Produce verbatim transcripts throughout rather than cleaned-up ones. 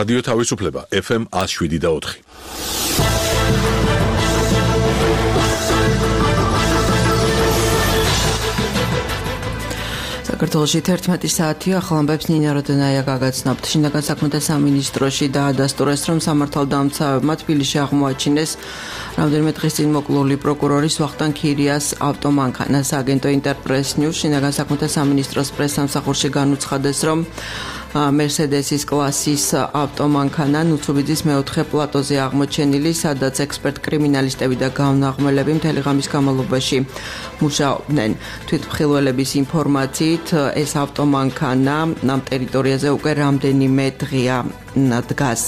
რადიო თავისუფლება ეფ ემ one oh seven და four. საქართველოში თერთმეტი საათი ახალ ამბებს ნინა როდონაია გაგაცნობთ. შინაგან საქმეთა სამინისტროში დაადასტურეს, რომ სამართალდამცავებმა თბილისში აღმოაჩინეს რამდენიმე დღის წინ მოკლული პროკურორის ვახტანგ ქირიას ავტომანქანას. აგენტო ინტერპრეს ნიუს შინაგან საქმეთა სამინისტროს პრესსამსახურში განუცხადეს, რომ Mercedes-ის კლასის ავტომანქანა ნუცუბიძის მეოთხე პლატოზე აღმოჩენილი, სადაც ექსპერტ კრიმინალისტები და გამნაღმელები მთელი ღამის განმავლობაში მუშაობდნენ. თვითმხილველების ინფორმაციით, ეს ავტომანქანა ამ ტერიტორიაზე უკვე რამდენიმე დღეა დგას.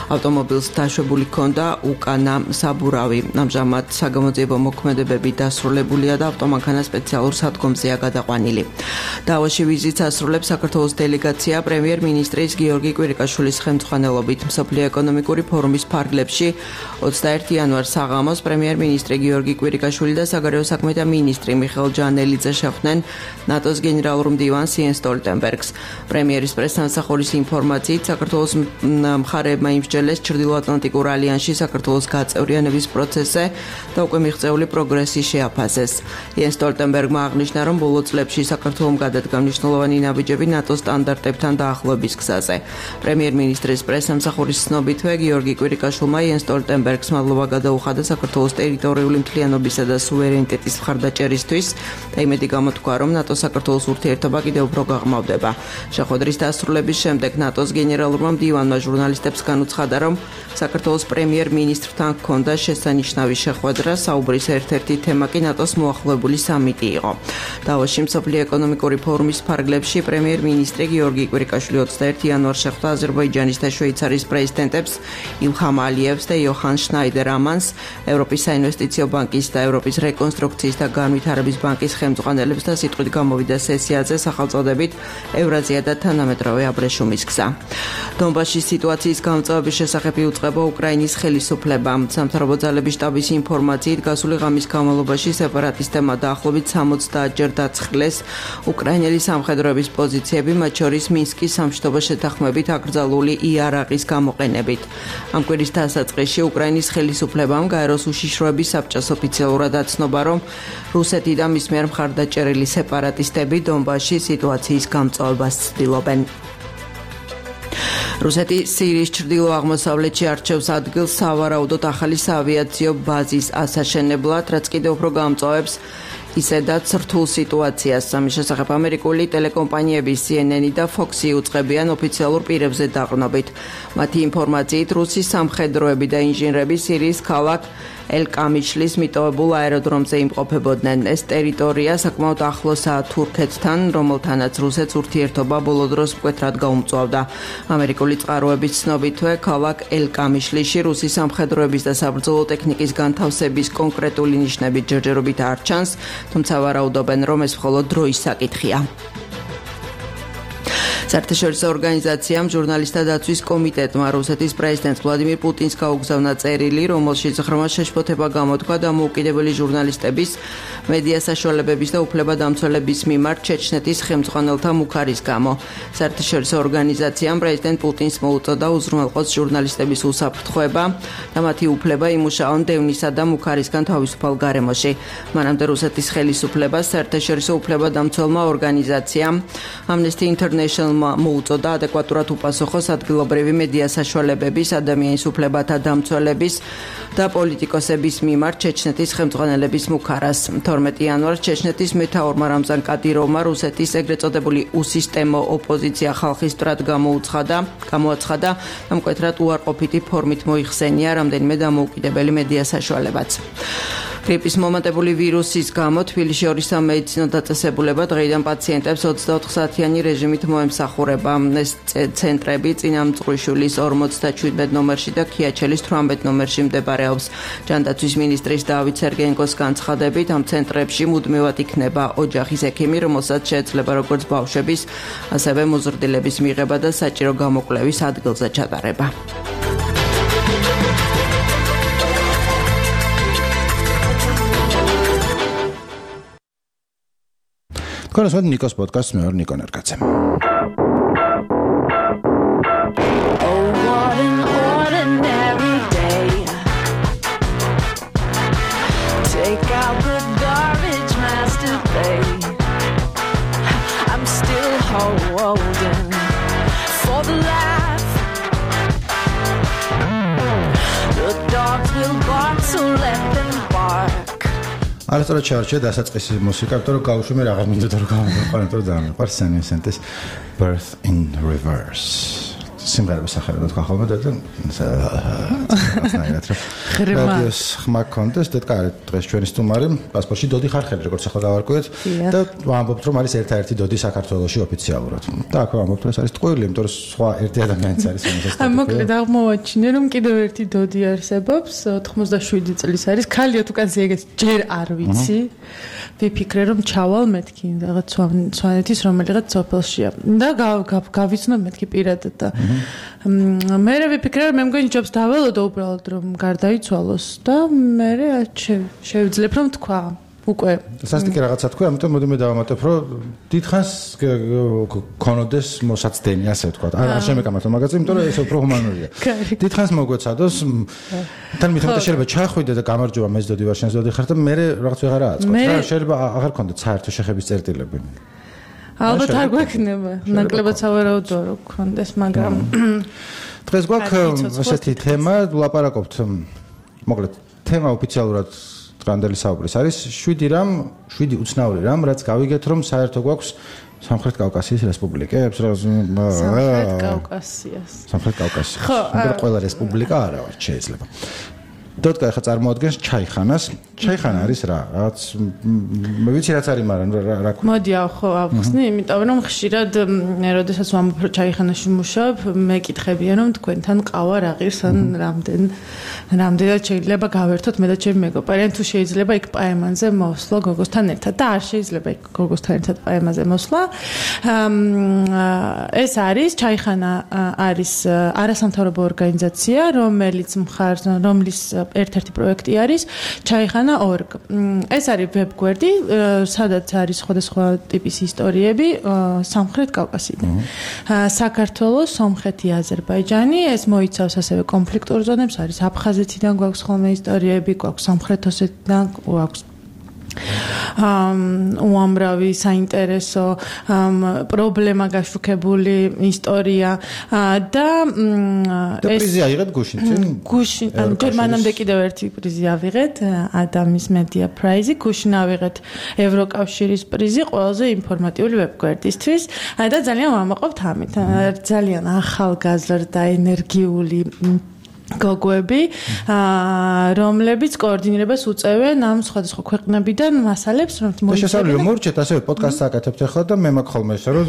ავტომობილს დაშვებული ჰქონდა უკანა საბურავი. ამჟამად საგამოძიებო მოქმედებები დასრულებულია და ავტომანქანა სპეციალურ სადგომზეა გადაყვანილი. დავოში ვიზიტს ასრულებს საქართველოს დელეგაცია პრემიერ-მინისტრის გიორგი კვირიკაშვილის ხელმძღვანელობით. მსოფლიო ეკონომიკური ფორუმის ფარგლებში ოცდაერთი იანვარს საღამოს პრემიერ-მინისტრი გიორგი კვირიკაშვილი და საგარეო საქმეთა მინისტრი მიხეილ ჯანელიძე შეხვდნენ ნატოს გენერალურ მდივანს იენს სტოლტენბერგს. პრემიერის პრესსამსახურის ინფორმაციით, საქართველოს მხარეებმა იმსჯელეს ჩრდილოატლანტიკურ ალიანსში საქართველოს გაწევრიანების პროცესზე და უკვე მიღწეული პროგრესი შეაფასეს. იენს სტოლტენბერგმა აღნიშნა, რომ ბოლო წლებში საქართველომ გადადგა მნიშვნელოვანი ნაბიჯები ნატოს სტანდარტებთან დაახლოების გზაზე. პრემიერ-მინისტრის პრესსამსახურის ცნობითვე გიორგი კვირიკაშვილმა იენს სტოლტენბერგს მადლობა გადაუხადა საქართველოს ტერიტორიული მთლიანობისა და სუვერენიტეტის მხარდაჭერისთვის და იმედი გამოთქვა, რომ ნატო-საქართველოს ურთიერთობა კიდევ უფრო გაღრმავდება. შეხვედრის დასრულების შემდეგ ნატოს გენერალურმა მდივანმა ჟურნალისტებს განუცხადა, რომ საქართველოს პრემიერ-მინისტრთან ჰქონდა შესანიშნავი შეხვედრა. საუბრის ერთ-ერთი თემა კი ნატოს მოახლოებული სამიტი იყო. დავოში მსოფლიო ეკონომიკური ფორუმის ფარგლებში პრემიერ-მინისტრი გიორგი კვირიკაშვილი ოცდაერთი იანვარს შეხვდა აზერბაიჯანის და შვეიცარიის პრეზიდენტებს ილჰამ ალიევს და იოჰან შნაიდერ ამანს, ევროპის საინვესტიციო ბანკის და ევროპის რეკონსტრუქციის და განვითარების ბანკის ხელმძღვანელებს და სიტყვით გამოვიდა სესიაზე სახელწოდებით ევრაზია და თანამედროვე აბრეშუმის გზა. დონბასის სიტუაციის გამწვავების შესახებ იუწყება უკრაინის ხელისუფლება. სამთავრობო ძალების შტაბის ინფორმაციით, გასული ღამის განმავლობაში სეპარატისტებმა დაახლოებით სამოცდაათჯერ დაცხლეს უკრაინელი სამხედროების პოზიციები, მათ შორის მინსკის სამშვიდობო შეთანხმებით აკრძალული იარაღის გამოყენებით. ამ კვირის დასაწყისში უკრაინის ხელისუფლებამ გაეროს უშიშროების საბჭოს ოფიციალურად აცნობა, რომ რუსეთი და მის მიერ მხარდაჭერილი სეპარატისტები დონბასში სიტუაციის გამწვავებას ცდილობენ. რუსეთი სირიის ჩრდილო-აღმოსავლეთში არჩევს ადგილს სავარაუდოდ ახალი საავიაციო ბაზის ასაშენებლად, რაც კიდევ უფრო გამწვავებს ისედაც რთულ სიტუაციას. ამის შესახებ ამერიკული ტელეკომპანიები C N N და Fox უწყებიან ოფიციალურ პირებზე დაყრდნობით. მათი ინფორმაციით, რუსის სამხედროები და ინჟინრები სირიის ქალაქ ელ-კამიშლის მიტოვებულ აეროდრომზე იმყოფებოდნენ. ეს ტერიტორია საკმაოდ ახლოსაა თურქეთთან, რომელთანაც რუსეთს ურთიერთობა ბოლო დროს მკვეთრად გაუმწვავდა. ამერიკული წყაროების ცნობითვე, ქალაქ ელ-კამიშლიში რუსის სამხედროების და საბრძოლო ტექნიკის განთავსების კონკრეტული ნიშნები ჯერჯერობით არ ჩანს, თუმცა ვარაუდობენ, რომ ეს მხოლოდ დროის საკითხია. საერთაშორისო ორგანიზაციამ ჟურნალისტთა დაცვის კომიტეტმა რუსეთის პრეზიდენტ ვლადიმირ პუტინს გაუგზავნა წერილი, რომელშიც ღრმა შეშფოთება გამოთქვა დამოუკიდებელი ჟურნალისტების, მედია საშუალებების და უფლებადამცველების მიმართ ჩეჩნეთის ხელმძღვანელთა მუქარის გამო. საერთაშორისო ორგანიზაციამ პრეზიდენტ პუტინს მოუწოდა უზრუნველყოს ჟურნალისტების უსაფრთხოება და მათი უფლება იმუშაონ დევნისა და მუქარისგან თავისუფალ გარემოში. მანამდე რუსეთის ხელისუფლებას საერთაშორისო უფლებადამცველმა ორგანიზაციამ Amnesty International მოუწოდა ადეკვატურად უპასუხოს ადგილობრივი მედია საშუალებების, ადამიანის უფლებათა დამცველების და პოლიტიკოსების მიმართ ჩეჩნეთის ხელმძღვანელების მუქარას. თორმეტი იანვარს ჩეჩნეთის მეთაურმა რამზან კადიროვმა რუსეთის ეგრეთ წოდებული უსისტემო ოპოზიცია ხალხის მტრად გამოუცხადა, გამოაცხადა და მკვეთრად უარყოფითი ფორმით მოიხსენია რამდენიმე დამოუკიდებელი მედია საშუალებაც. გრიპის მომატებული ვირუსის გამო თბილისში ორი სამედიცინო დაწესებულება დღეიდან პაციენტებს ოცდაოთხ საათიანი რეჟიმით მოემსახურება. ეს ცენტრები წინამძღვრიშვილის ორმოცდაშვიდ ნომერში და ქიაჩელის თვრამეტ ნომერში მდებარეობს. ჯანდაცვის მინისტრის დავით სერგეენკოს განცხადებით, ამ ცენტრებში მუდმივად იქნება ოჯახის ექიმი, რომელსაც შეეძლება როგორც ბავშვების, ასევე მოზრდილების მიღება და საჭირო გამოკვლევის ადგილზე ჩატარება. Коротко, Никос подкаст, მე ვარ ნიკო ნერგაძე. Take out the garbage master blade. I'm still holding for the laugh. The dogs will bark, so let them bark. არასწორად ჩაარჩია დასაწყისი მუსიკა, იმიტომ რომ გავუშვი მე აღარ მინდოდა რომ გავამოყვანო, იმიტომ რომ ძალიან მიყვარს San Vicente's Birth in Reverse. სიმღერების სახელად თქვა ხოლმე და რაღაცნაირად რა. რადიოს ხმა კონდეს და თქვა დღეს ჩვენი სტუმარი პასპორტში დოდი ხარხელი როგორც ახლა გავარკვიეთ და ვამბობთ რომ არის ერთ-ერთი დოდი საქართველოში ოფიციალურად. და აქ ვამბობთ რომ ეს არის ტყუილი, იმიტომ რომ სხვა ერთი ადამიანიც არის ამას. აი მოკლედ აღმოვაჩინე რომ კიდევ ერთი დოდი არსებობს, ოთხმოცდაშვიდი წლის არის. ქალია თუ კაცი ეგეც ჯერ არ ვიცი. ვიფიქრე რომ ჩავალ მეთქი რაღაც სვანეთის რომელიღაც სოფელშია და გავიცნობ მეთქი პირადად და მე ვიფიქრე რომ მე მგონი ჯობს დაველოდო უბრალოდ რომ გარდაიცვალოს და მე შევძლებ რომ თქვა უკვე სასტიკი რაღაცა თქვა, ამიტომ მოდი მე დავამატებ რომ დიდხანს ქონოდეს მოსაცდენი ასე ვთქვა. არ შემეკამათო მაგაზე, იმიტომ რომ ეს უფრო ჰუმანურია. დიდხანს მოგვეცადოს თან მithomte შეიძლება ჩახვიდე და გამარჯობა მე ზდოდი ვარ შენს ზდოდი ხარ და მე რაღაც ვეღარ აწყობ. და შეიძლება აღარ გქონდეთ საერთო შეხების წერტილები. ალბათ არ გვექნება, ნაკლებად სავარაუდოა რომ გქონდეს, მაგრამ დღეს გვაქვს ესეთი თემა, ვლაპარაკობთ მოკლედ თემა ოფიციალურად დღევანდელი საუბრის არის შვიდი რამ, შვიდი უცნაური რამ, რაც გავიგეთ რომ საერთო გვაქვს სამხრეთ კავკასიის რესპუბლიკებს, სამხრეთ კავკასიას. სამხრეთ კავკასია. მაგრამ ყველა რესპუბლიკა არა ვარ, შეიძლება. დოტკა ახლა წარმოადგენს ჩაიხანას. ჩაიხანა არის რა? რაღაც მე ვიცი რაც არის, მაგრამ რა ქვია? მოდი ხო ავხსნი, იმიტომ რომ ხშირად როდესაც ვამბობ რომ ჩაიხანაში მუშაობ, მეკითხებიან რომ თქვენთან ყავა რა ღირს ან რამდენ რამდენად შეიძლება გავერთოთ მე და ჩემი მეგობარი, ან თუ შეიძლება იქ პაემანზე მოსვლა გოგოსთან ერთად და არ შეიძლება იქ გოგოსთან ერთად პაემაზე მოსვლა. ეს არის ჩაიხანა არის არასამთავრობო ორგანიზაცია, რომელიც მხარს რომლის ერთ-ერთი პროექტი არის ჩაიხანა ორგ. ეს არის ვებგვერდი, სადაც არის სხვადასხვა ტიპის ისტორიები სამხრეთ კავკასიიდან. საქართველოს, სომხეთი, აზერბაიჯანი, ეს მოიცავს ასევე კონფლიქტურ ზონებს, არის აფხაზეთიდან გვაქვს ხოლმე ისტორიები, გვაქვს სამხრეთ ოსეთიდან, გვაქვს უამრავი საინტერესო პრობლემა გაშუქებული ისტორია და ეს პრიზი აიღეთ გუშინ წინ გუშინ ანუ ჯერ მანამდე კიდევ ერთი პრიზი ავიღეთ ადამის მედია პრაიზი გუშინ ავიღეთ ევროკავშირის პრიზი ყველაზე ინფორმატიული ვებგვერდისთვის და ძალიან ვამაყობთ ამით ძალიან ახალგაზრდა ენერგიული გოგოები, რომლებიც კოორდინირებას უწევენ ამ სხვადასხვა ქვეყნებიდან მასალებს, რომ შესაძლოა მორჩეთ ასევე პოდკასტს აკეთებთ ახლა და მე მაქვს ხოლმე ესე რომ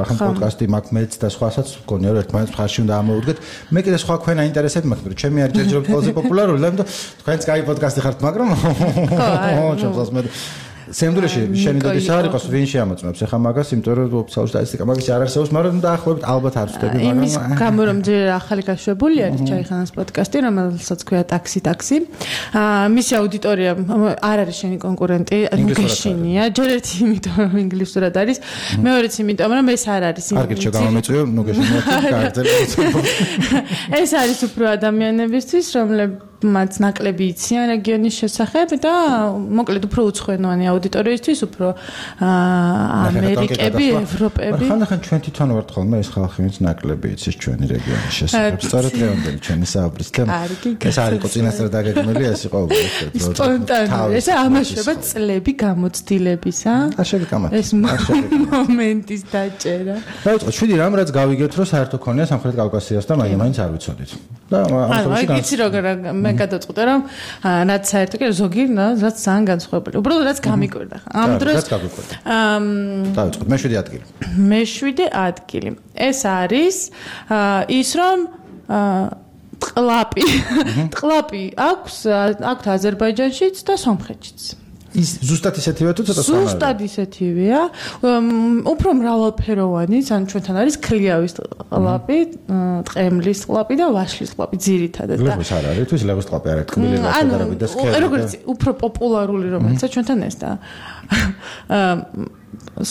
ახლა პოდკასტი მაქვს მეც და სხვასაც გქონია რომ ერთმანეთს მხარში უნდა ამოვუდგეთ. მე კიდე სხვა ქვენა ინტერესები მაქვს, მაგრამ ჩემი არ ჯერჯერობით ყველაზე პოპულარული, და თქვენც კაი პოდკასტი ხართ, მაგრამ ხო, ჩემს მე სამდროში შენი დოდის არ იყოს ვინ შეამოწმებს ახლა მაგას, იმიტომ რომ ოფიციალური სტატისტიკა მაგის არ არსებობს, მაგრამ დაახლოებით ალბათ არ ვწდები, მაგრამ იმის გამო რომ ჯერ ახალი გაშვებული არის ჩაიხანას პოდკასტი, რომელსაც ქვია ტაქსი ტაქსი. აა მისი აუდიტორია არ არის შენი კონკურენტი, გეშინია, ჯერ ერთი იმიტომ რომ ინგლისურად არის, მეორეც იმიტომ რომ ეს არ არის არ გიჩვენა გამომეწვიო, ნუ გეშინია კარგად. ეს არის უფრო ადამიანებისთვის, რომლებიც მათ ნაკლები იციან რეგიონის შესახებ და მოკლედ უფრო უცხოენოვანი აუდიტორიისთვის, უფრო ამერიკები, ევროპები. ხანდახან ჩვენ თვითონ ვართ ხოლმე ეს ხალხი, ვინც ნაკლები იცის ჩვენი რეგიონის შესახებ. სწორედ დღევანდელი ჩვენი საუბრის თემა. ეს არ იყო წინასწარ დაგეგმილი, ეს იყო სპონტანური. ეს ამაშობა წლები გამოცდილებისა. არ შეგეკამათ. ეს მომენტის დაჭერა. დაიწყო შვიდი რამ, რაც გავიგეთ, რომ საერთო ქონია სამხრეთ კავკასიას და მაგრამ მაინც არ ვიცოდით. და ანუ აი იცი როგორ მე გადაწყვიტე რომ რაც საერთო კი ზოგი რაც ძალიან განსხვავებული. უბრალოდ რაც გამიკვირდა. ამ დროს რაც გამიკვირდა. დაიწყოთ მეშვიდე ადგილი. მეშვიდე ადგილი. ეს არის ის რომ ტყლაპი. ტყლაპი აქვს აქვს აზერბაიჯანშიც და სომხეთშიც. ის ზუსტად ისეთივე თუ ცოტა სხვაა? ზუსტად ისეთივეა. უფრო მრავალფეროვანი, ანუ ჩვენთან არის ქლიავის ტყლაპი, ტყემლის ტყლაპი და ვაშლის ტყლაპი ძირითადად. ლეღვის არ არის, თუ ის ლეღვის ტყლაპი არ არის, თქმილი რაღაცა და სქელი. როგორც უფრო პოპულარული რომელიცაც ჩვენთან ეს და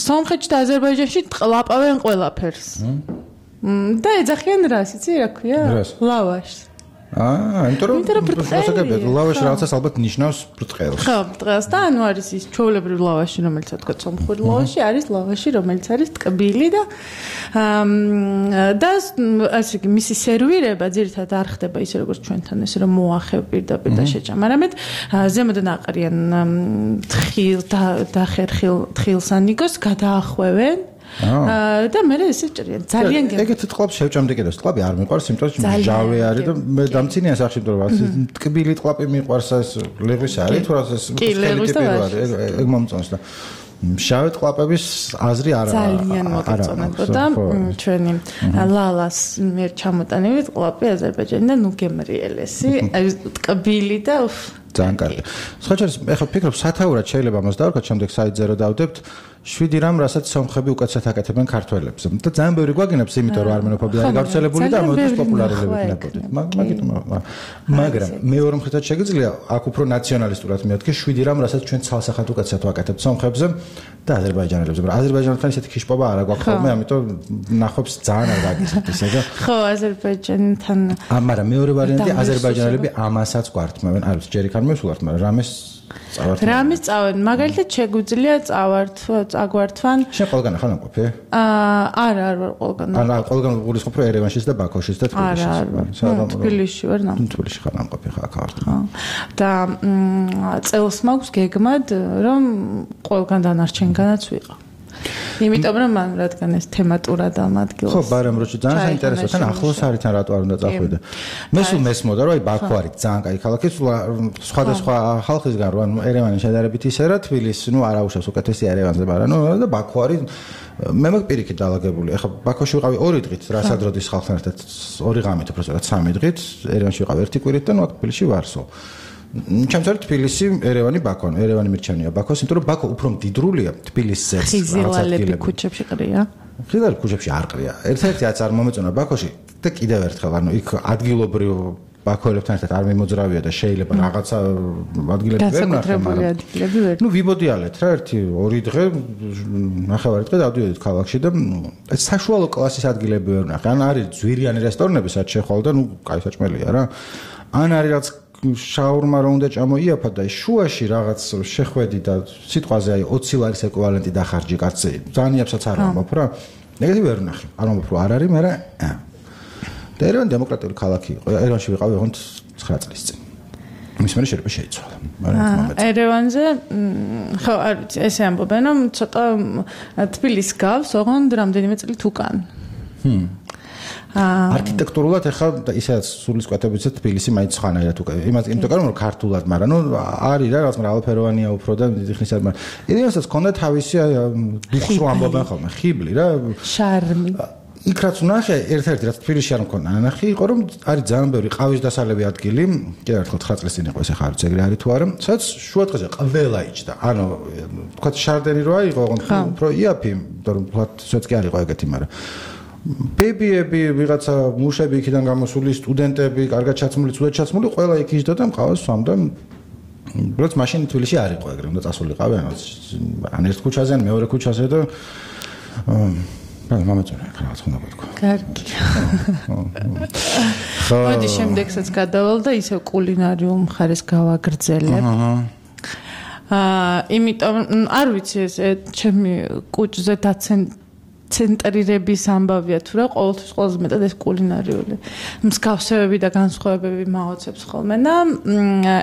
სომხეთში და აზერბაიჯანში ტყლაპავენ ყველაფერს. და ეძახიან რას, იცი რა ქვია? ლავაშს. აა, იმიტომ რომ პროცესები ლავაში რაღაცას ალბათ ნიშნავს ბრწყელს. ხო, ბრწყელს და ანუ არის ის ჩვეულებრივ ლავაში, რომელიც თქვა სომხური ლავაში, არის ლავაში, რომელიც არის ტკბილი და და ასე იგი მისი სერვირება ძირითადად არ ხდება ისე როგორც ჩვენთან ესე რომ მოახევ პირდაპირ და შეჭამ. არამედ ზემოდან აყრიან თხილ და ხერხილ თხილსანიგოს გადაახვევენ და მე ესე ჭრიან ძალიან გემ. ეგეთ ტყლაპს შევჭამდი კიდევ ტყლაპი არ მიყვარს, იმიტომ რომ ჟავე არის და მე დამცინია სახში, იმიტომ რომ ტკბილი ტყლაპი მიყვარს ეს ლეღვის არის, თუ რა ეს ეგ მომწონს და შავე ტყლაპების აზრი არ არის. ძალიან მოგეწონებოდა ჩვენი ლალას მიერ ჩამოტანილი ტყლაპი აზერბაიჯანიდან ნუ გემრიელესი, აი ტკბილი და ძალიან კარგი. სხვაჩერს ეხლა ფიქრობ სათაურად შეიძლება ამას დავარქვათ, შემდეგ საიტზე რო დავდებთ შვიდი რამ, რასაც სომხები უკეთესად აკეთებენ ქართველებს. და ძალიან ბევრი გვაგინებს, იმიტომ რომ არმენოფობია არის გავრცელებული და ამოდის პოპულარიზებით ნაკლებად. მაგიტომ მაგრამ მეორე მხრიდან შეგიძლია აქ უფრო ნაციონალისტურად მეთქი შვიდი რამ, რასაც ჩვენ ცალსახად უკეთესად ვაკეთებთ სომხებზე და აზერბაიჯანელებზე. მაგრამ აზერბაიჯანელთან ისეთი ქიშპობა არ აქვს ხოლმე, ამიტომ ნახობს ძალიან არ გაგიცეთ ისე და ხო, აზერბაიჯანთან მაგრამ მეორე ვარიანტი აზერბაიჯანელები ამასაც გვართმევენ. არ ვიცი, ჯერ იქ არ მესულართ, მაგრამ რამეს წავართ. რამის წავენ, მაგალითად შეგვიძლია წავართ, წაგვართვან. შენ ყველგან ახლა ნაყოფი? აა, არა, არ ვარ ყველგან. არა, ყველგან გულისხმობ რომ ერევანშიც და ბაქოშიც და თბილისშიც. არა, თბილისში ვარ ნაყოფი. თბილისში ხარ ნაყოფი ხა აქ ვარ. და წელს მაქვს გეგმად რომ ყველგან დანარჩენგანაც ვიყავ. იმიტომ რომ მან რადგან ეს თემატურად ამ ადგილს. ხო, ბარემ როჩი ძალიან საინტერესოა, თან ახლოს არის თან რატო არ უნდა წახვიდე. მე სულ მესმოდა რომ აი ბაქო არის ძალიან კაი ქალაქი, სულ სხვადასხვა ხალხისგან რო ანუ ერევანი შედარებით ისე რა თბილისი, ნუ არ აუშავს უკეთესი ერევანზე, მაგრამ ნუ და ბაქო არის მე მაგ პირიქით დაალაგებული. ეხლა ბაქოში ვიყავი ორი დღით, რასადროდის ხალხთან ერთად ორი ღამით, უბრალოდ რა სამი დღით, ერევანში ვიყავი ერთი კვირით და ნუ აქ თბილისში ვარსო. ჩემს არის თბილისი, ერევანი, ბაქო, ერევანი მირჩენია ბაქოს, იმიტომ რომ ბაქო უფრო მდიდრულია თბილისზე. ხიზილალები ქუჩებში ყრია. ხიზილალები ქუჩებში არ ყრია. ერთ-ერთი რაც არ მომეწონა ბაქოში და კიდევ ერთხელ, ანუ იქ ადგილობრივ ბაქოელებთან ერთად არ მიმოძრავია და შეიძლება რაღაცა ადგილები ვერ ნახე, მაგრამ ნუ ვიბოდიალეთ რა ერთი ორი დღე, ნახევარი დღე დავდივდით ქალაქში და ეს საშუალო კლასის ადგილები ვერ ნახე. ან არის ძვირიანი რესტორნები, სადაც შეხვალ და ნუ კაი საჭმელია რა. ან არის რაც შაურმა რო უნდა ჭამოიაფა და შუაში რაღაც შეხვედი და სიტყვაზე აი ოცი ლარის ეკვივალენტი დახარჯი კაცი. ძალიან იაფსაც არ ამბობ რა. ეგეთი ვერ ნახე. არ ამბობ რომ არ არის, მაგრამ და ერევანი დემოკრატიული ქალაქი იყო. ერევანში ვიყავი ოღონდ ცხრა წლის წინ. მის მერე შეიძლება შეიცვალა. ერევანზე ხო, არ ვიცი, ესე ამბობენ რომ ცოტა თბილისს გავს, ოღონდ რამდენიმე წლით უკან. ჰმ არქიტექტურულად ეხლა ისედაც სულისკვეთებიც თბილისი მაინც ხანაერად უკვე იმას იმიტომ რომ ქართულად, მაგრამ ნუ არის რა რაღაც ალფეროვანია უფრო და დიდი ხნის არ მაგრამ იდეასაც ქონდა თავისი დუხს რო ამბობენ ხოლმე ხიბლი რა შარმი იქ რაც ნახე ერთ-ერთი რაც თბილისში არ მქონდა ნახე იყო რომ არის ძალიან ბევრი ყავის დასალევი ადგილი კიდევ ერთხელ ცხრა წლის წინ იყო ეს ახლა არ ვიცი ეგრე არის თუ არა სადაც შუა დღეზე ყველა იჯდა ანუ თქვა შარდენი რო აიღო ოღონდ უფრო იაფი იმიტომ რომ თქვა სოც კი არ იყო ეგეთი მაგრამ ბებიები, ვიღაცა მუშები იქიდან გამოსული, სტუდენტები, კარგად ჩაცმული, ცუდად ჩაცმული, ყველა იქ იჯდა და მყავს სვამდა. უბრალოდ მაშინ თბილისში არ იყო ეგრე, უნდა წასულიყავი, ან ერთ ქუჩაზე, ან მეორე ქუჩაზე და აა მომეწონა, რაღაც უნდა გქო. კარგი. ხო. მოდი შემდეგსაც გადავალ და ისევ კულინარიულ მხარეს გავაგრძელებ. აჰა. აა, იმიტომ არ ვიცი ეს ჩემი კუჭზე დაცენ ცენტრირების ამბავია თუ რა ყოველთვის ყველაზე მეტად ეს კულინარიული მსგავსებები და განსხვავებები მაოცებს ხოლმე და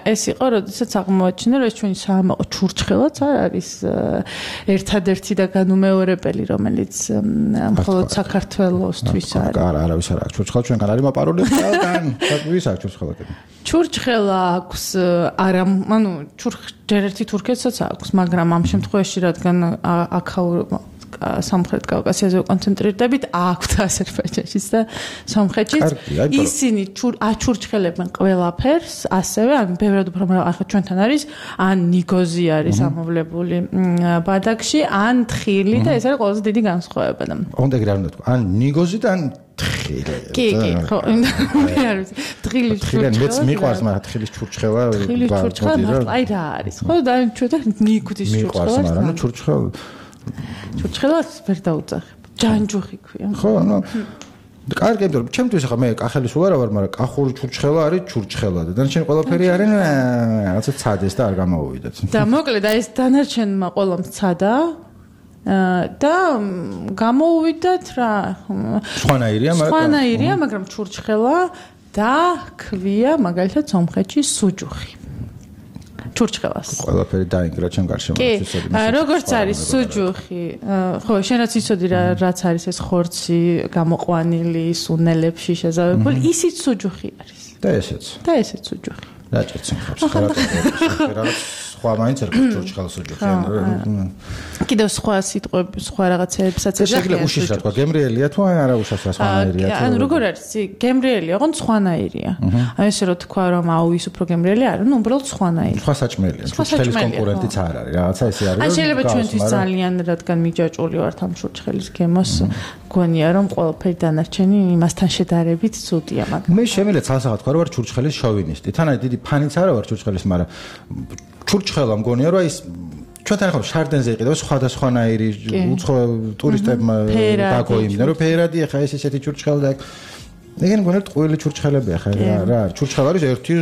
ეს იყო როდესაც აღმოაჩინე რომ ეს ჩვენი საამაყო ჩურჩხელაც არ არის ერთადერთი და განუმეორებელი რომელიც მხოლოდ საქართველოსთვის არის არა არავის არ აქვს ჩურჩხელა ჩვენგან არის მოპარული ყველგან ვის აქვს ჩურჩხელა ჩურჩხელა აქვს არა ანუ ჯერ ერთი თურქეთსაც აქვს მაგრამ ამ შემთხვევაში რადგან აქაურ სამხრეთ კავკასიაზე კონცენტრირდებით აქვთ აზერბაიჯანშიც და სომხეთშიც ისინი აჩურჩხელებენ ყველაფერს ასევე ან ბევრად უფრო მაგრამ ახლა ჩვენთან არის ან ნიგოზი არის ამოვლებული ბადაკში ან თხილი და ეს არის ყველაზე დიდი განსხვავება და ოღონდ ეგრე არ უნდა თქვა ან ნიგოზი და ან თხილი კი კი ხო მე არ ვიცი თხილის ჩურჩხელა მეც მიყვარს მაგრამ თხილის ჩურჩხელა თხილის ჩურჩხელა აი რა არის ხო და ჩვენ ნიგოთის ჩურჩხელა მიყვარს მაგრამ ჩურჩხელა ჩურჩხელას ვერ დაუძახებ. ჯანჯუხი ქვია. ხო, ანუ კარგი, იმიტომ რომ ჩემთვის ახლა მე კახელის უარა ვარ, მაგრამ კახური ჩურჩხელა არის ჩურჩხელა და დანარჩენი ყველაფერი არის რაღაცა ცადეს და არ გამოვიდეთ. და მოკლედ აი ეს დანარჩენმა ყველამ ცადა და გამოუვიდათ რა. სხვანაირია, მაგრამ სხვანაირია, მაგრამ ჩურჩხელა და ქვია მაგალითად სომხეთში სუჯუხი. ჩურჩხელას. ყველაფერი დაინგრა ჩემ გარშემოთვისები. კი, როგორც არის სუჯუხი, ხო, შენაც იცოდი რა რაც არის ეს ხორცი გამოყვანილი სუნელებში შეზავებული, ისიც სუჯუხი არის. და ესეც. და ესეც სუჯუხი. რაჭერცენ ხავს. რაღაც სხვა მაინც ერთ ჩურჩხელს სუჯუხი. კიდევ სხვა სიტყვები, სხვა რაღაცებსაც ეძახიან. შეიძლება უშიშ რა თქვა, გემრიელია თუ არა უშავს რა სხვანაირია თუ. ანუ როგორ არის, გემრიელია, ოღონდ სხვანაირია. აი ესე რომ თქვა რომ აუ ის უფრო გემრიელი არა, ნუ უბრალოდ სხვანაირი. სხვა საჭმელია. ჩურჩხელის კონკურენტიც არ არის. რაღაცა ესე არის. აი შეიძლება ჩვენთვის ძალიან რადგან მიჯაჭვული ვართ ამ ჩურჩხელის გემოს, გონია რომ ყველაფერი დანარჩენი იმასთან შედარებით ცუდია, მაგრამ მე შემიძლია ცალსახად თქვა რომ ვარ ჩურჩხელის შოვინისტი. თანაც დიდი ფანიც არა ვარ ჩურჩხელის, მაგრამ ჩურჩხელა მგონია რომ ის ჩვენთან ახლა შარდენზე იყიდება სხვადასხვანაირი უცხო ტურისტებმა დაგოიმდნენ რომ ფერადი ახლა ეს ესეთი ჩურჩხელა და ეგენ მგონია ტყუილი ჩურჩხელებია ხა რა ჩურჩხელა არის ერთი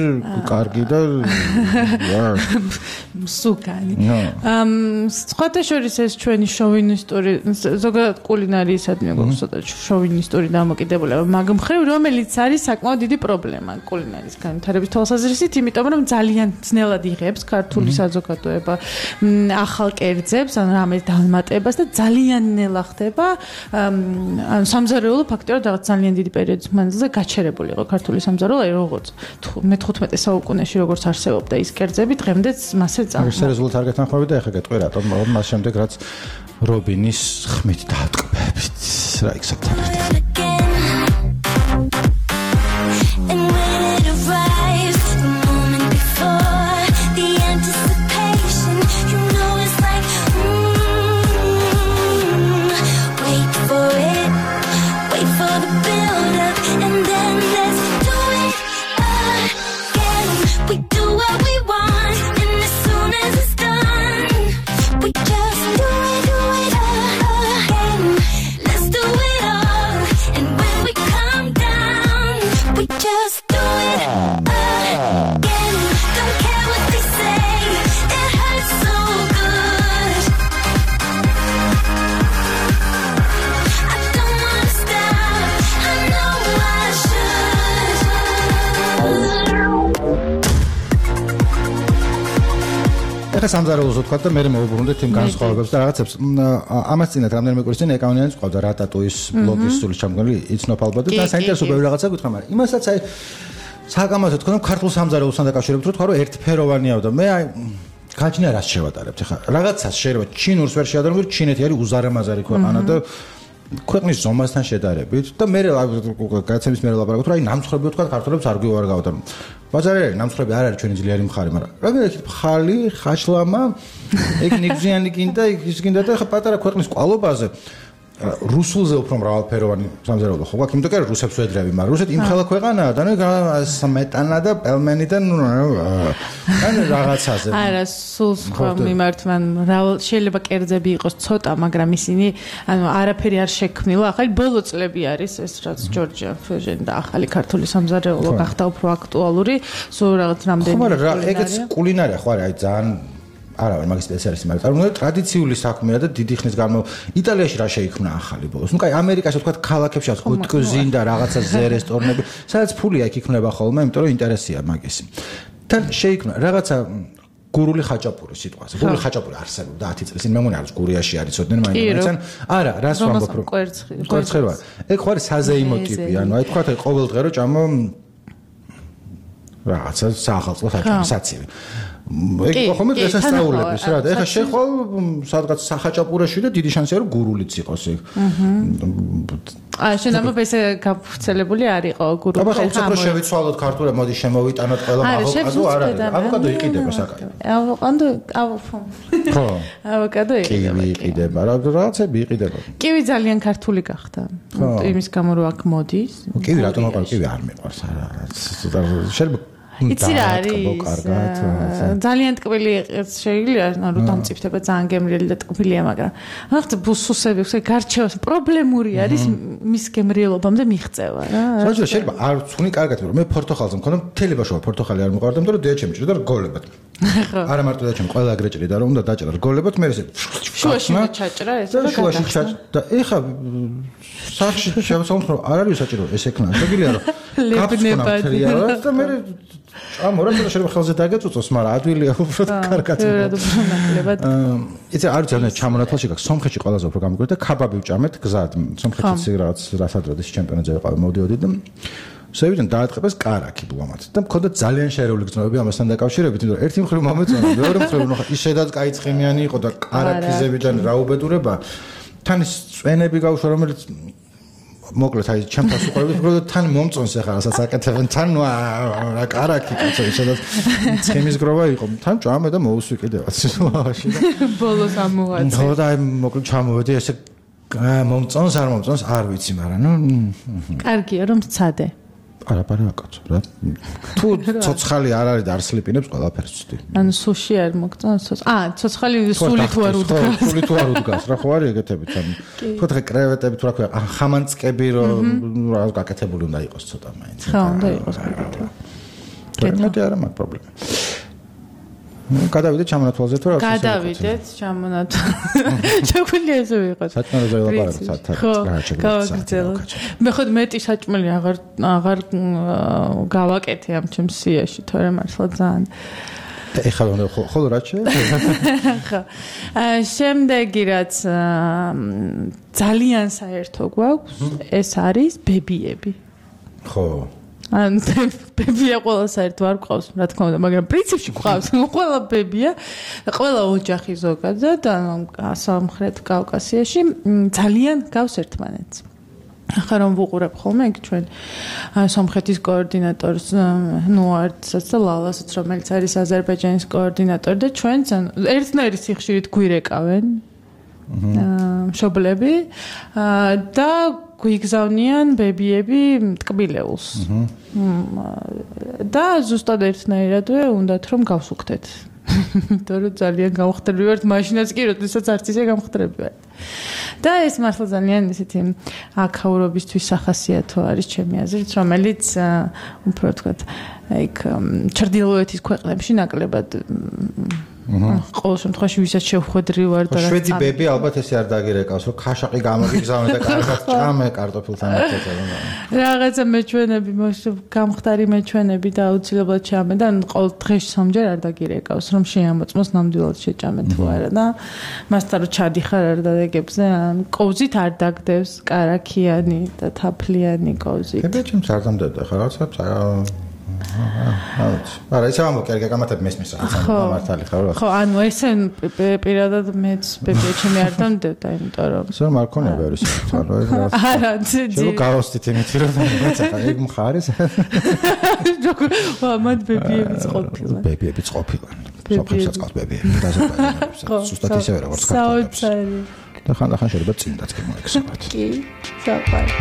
კარგი და მსუქანი ამ სხვათა შორის ეს ჩვენი შოვინისტური ზოგადად კულინარიისადმი გვაქვს ცოტა შოვინისტური დამოკიდებულება მაგ მხრივ რომელიც არის საკმაოდ დიდი პრობლემა კულინარიის განვითარების თვალსაზრისით იმიტომ რომ ძალიან ძნელად იღებს ქართული საზოგადოება ახალ კერძებს ან რამეს დამატებას და ძალიან ნელა ხდება ან სამზარეულო ფაქტორად რაღაც ძალიან დიდი პერიოდის მანძილზე გაჩერებული იყო ქართული სამზარეულო აი როგორც მეთერთმეტე საუკუნეში როგორც არსებობდა ის კერძები დღემდეც მასე ეს რეზულტატი არ გეთანხმები და ეხა გეტყვი რატომ მას შემდეგ რაც რობინის ხმით დაატკბებით რა იქცებთან ეხა სამზარეულოს ვთქვა და მე მოვუბრუნდეთ იმ განსხვავებებს და რაღაცებს ამას წინათ რამდენიმე კვირის წინ ეკავნიანიც ყავდა რატატუის ბლოგის სული ჩამგონილი იცნობ ალბათ და საინტერესო ბევრი რაღაცა გითხრა მაგრამ იმასაც აი საკამათო თქვა რომ ქართულ სამზარეულოსთან დაკავშირებით რო თქვა რომ ერთფეროვანია და მე აი გაჩნია რას შევატარებთ ეხა რაღაცას შეიძლება ჩინურს ვერ შეადარებთ ჩინეთი არის უზარმაზარი ქვეყანა და ქვეყნის ზომასთან შედარებით და მე გადაცემის მე ლაპარაკობ რომ აი ნამცხრები ვთქვა ქართულებს არ გვივარგავთ და ბაზარი ნამცხრები არ არის ჩვენი ძლიერი მხარე მაგრამ რა გიქით ხალი ხაშლამა ეგ ნიგზიანი გინდა ის გინდა და ხა პატარა ქვეყნის კვალობაზე რუსულზე უფრო მრავალფეროვანი სამზარეულო ხო გვაქვს იმიტომ რომ რუსებს ვედრები მაგრამ რუსეთი იმ ხელა ქვეყანაა და ნუ სმეტანა და პელმენი და ნუ ან რაღაცაზე არა სულ სხვა მიმართვან შეიძლება კერძები იყოს ცოტა მაგრამ ისინი ანუ არაფერი არ შექმნილა ახალი ბოლო წლები არის ეს რაც ჯორჯია ფეჟენ და ახალი ქართული სამზარეულო გახდა უფრო აქტუალური სულ რაღაც რამდენი ხო მაგრამ რა ეგეც კულინარია ხო არა აი ძალიან არა ვარ მაგის სპეციალისტი მაგრამ წარმოიდგინეთ ტრადიციული საქმეა და დიდი ხნის განმავლობაში იტალიაში რა შეიქმნა ახალი ბოლოს ნუ კაი ამერიკაში თქვა ქალაქებში ოტკოზინ და რაღაცა ზე რესტორნები სადაც ფულია იქ იქნება ხოლმე იმიტომ რომ ინტერესია მაგის თან შეიქმნა რაღაცა გურული ხაჭაპური სიტყვაზე გურული ხაჭაპური არსებობდა ათი წლის წინ მე მგონი არის გურიაში არის ოდნე მაინც არა რას ვამბობ რომ კვერცხი რა ეგ ხო არის საზეიმო ტიპი ანუ აი თქვა ყოველ დღე რომ ჭამო რაღაცა საახალწლო საცივი ეგ ხომ დღესასწაულების რა და ეხა შეხვალ სადღაც სახაჭაპურაში და დიდი შანსია რომ გურულიც იყოს ეგ აა შენ ამბობ ესე გაფუძნებული არ იყო გურული აბა ხა უფრო შევიცვალოთ ქართულად მოდი შემოვიტანოთ ყველა ავოკადო არ არის ავოკადო იყიდება საკაი ავოკადო ავო ხო ავოკადო იყიდება კივი იყიდება რა რაღაცები იყიდება კივი ძალიან ქართული გახდა იმის გამო რომ აქ მოდის კივი რატომ აყარ კივი არ მიყვარს არა შეიძლება იცი რა არის? ძალიან ტკბილი იყოს შეიძლება, ანუ დამწიფდება ძალიან გემრიელი და ტკბილია, მაგრამ ახლა ბუსუსები ხე გარჩევას პრობლემური არის მის გემრიელობამდე მიღწევა რა. საერთოდ შეიძლება არ ვცუნი კარგად, რომ მე პორტოხალზე მქონდა მთელი ბავშვობა პორტოხალი არ მიყვარდა, იმიტომ რომ დიაჩემი ჭირდა რგოლებად. არა მარტო დიაჩემი, ყველა ეგრე ჭირდა, რომ უნდა დაჭერა რგოლებად, მე ესე შუაში ჩაჭრა ეს და შუაში ჩაჭრა. ეხა სახში შევსაუბროთ, რომ არ არის საჭირო ეს ეკნა. შეგიძლია რომ ლებნებად და მე ამორა და შეიძლება ხელზე დაგეწუწოს, მაგრამ ადვილია უბრალოდ კარგად. იცი არ ძალიან ჩამონათვალში გაქვს სომხეთში ყველაზე უფრო გამიგვირდა ქაბაბი ვჭამეთ გზად. სომხეთში რაღაც რასადროდეს ჩემპიონატზე ვიყავ მოდიოდი და შევიდან დაატყებეს კარაკი ბლომად და მქონდა ძალიან შერეული გრძნობები ამასთან დაკავშირებით, იმიტომ რომ ერთი მხრივ მომეწონა, მეორე მხრივ ნახა ის შედაც კაი ცხიმიანი იყო და კარაკიზებიდან რა უბედურება. თან ის წვენები გავუშვა, რომელიც მოკლედ აი ჩემთან უყურებით, უბრალოდ თან მომწონს ახლა რასაც აკეთებენ, თან რა კარაკი კაცო, შედაც ცხიმის გროვა იყო. თან ჭამე და მოუსვი კიდევაც სიტუაციაში და ბოლოს ამოვაწე. ხო და აი მოკლედ ჩამოვედი ესე მომწონს არ მომწონს არ ვიცი, მაგრამ ნუ კარგია რომ ცადე. არაფერი აკაცო რა. თუ ცოცხალი არ არის და არ სლიპინებს ყველაფერს ვცდი. ანუ სუში არ მოგწონს? აა, ცოცხალი სული თუ არ უდგას. სული თუ არ უდგას, რა ხო არის ეგეთებით ანუ. თუ ხე კრევეტები თუ რა ქვია, ხამანწკები რომ რა გაკეთებული უნდა იყოს ცოტა მაინც. ხო, უნდა იყოს გაკეთებული. კეთდა არა მაგ პრობლემა. გადავიდეთ ჩამონათვალზე თუ რა ვიცი. გადავიდეთ ჩამონათვალზე. შეგვიძლია ესე ვიყოს. საჭმელზე ველაპარაკოთ საათად. გავაგრძელოთ. მე ხოდ მეტი საჭმელი აღარ აღარ გავაკეთე ამ ჩემს სიაში, თორემ მართლა ძალიან. ეხლა ხოლო რა შეიძლება? ხო. შემდეგი რაც ძალიან საერთო გვაქვს, ეს არის ბებიები. ხო. ან ბებია ყველა საერთო არ გვყავს, რა თქმა უნდა, მაგრამ პრინციპში გვყავს. ყველა ბებია, ყველა ოჯახი ზოგადად, ანუ სამხრეთ კავკასიაში ძალიან გავს ერთმანეთს. ახლა რომ ვუყურებ ხოლმე იქ ჩვენ სომხეთის კოორდინატორს ნუარდსაც და ლალასაც, რომელიც არის აზერბაიჯანის კოორდინატორი და ჩვენც ერთნაირი სიხშირით გვირეკავენ მშობლები და გვიგზავნიან ბებიები ტკბილეულს. და ზუსტად ერთნაირადვე უნდათ რომ გავსუქდეთ. იმიტომ რომ ძალიან გამხდები ვართ, მაშინაც კი როდესაც არც ისე გამხდები ვართ. და ეს მართლა ძალიან ისეთი აქაურობისთვის სახასიათო არის ჩემი აზრით, რომელიც უფრო ვთქვათ, აიქ ჩრდილოეთის ქვეყნებში ნაკლებად ყოველ შემთხვევაში ვისაც შევხვედრი ვარ და შვედი ბები ალბათ ესე არ დაგირეკავს, რომ ქაშაყი გამოგიგზავნე და კარგად ჭამე კარტოფილთან ერთად. რაღაცა მეჩვენები, გამხდარი მეჩვენები და აუცილებლად ჭამე და ყოველ დღეში სამჯერ არ დაგირეკავს, რომ შეამოწმოს ნამდვილად შეჭამე თუ არა და მასთან რომ ჩადიხარ არ დადეგებზე, კოვზით არ დაგდევს, კარაქიანი და თაფლიანი კოვზით. ბებიჩემ არ დამდებდა ხა რაღაცა არა, ისე ამბობ, გამართებ მესმის რაღაც გამართალი ხარ რა. ხო, ანუ ესე პირადად მეც ბებიჩემი არ დამდებდა, იმიტომ რომ სულ მარქონია ბევრი საერთოდ რა. არა, ძი. შეგო გავოსტით იმით რომ მეც ახლა ეგ მხარეს. ვა, მათ ბებიებიც ყოფილან. ბებიებიც ყოფილან. სოფელსაც ყავს ბებიები, დაზოგადოებებს. სუსტად ისევე როგორც ქართველებს. საოცარი. და ხანდახან შეიძლება წინდაც კი მოექცევათ. კი, საყვარელი.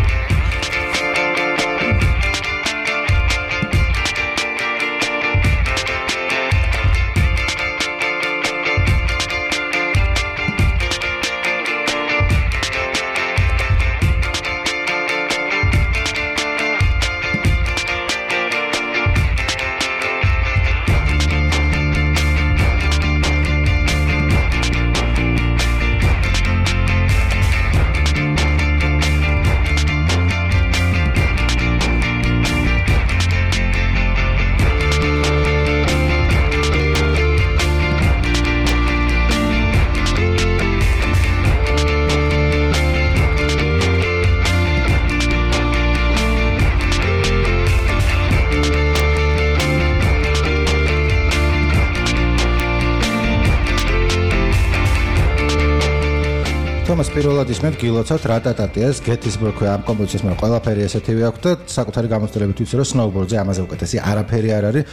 თომას პირველად ისმენთ გილოცავთ რატატატიას გეტისბურგ ამ კომპოზიციის მე ყველაფერი ესეთივე აქვს და საკუთარი გამოცდილებით ვიცი რომ სნოუბორდზე ამაზე უკეთესი არაფერი არ არის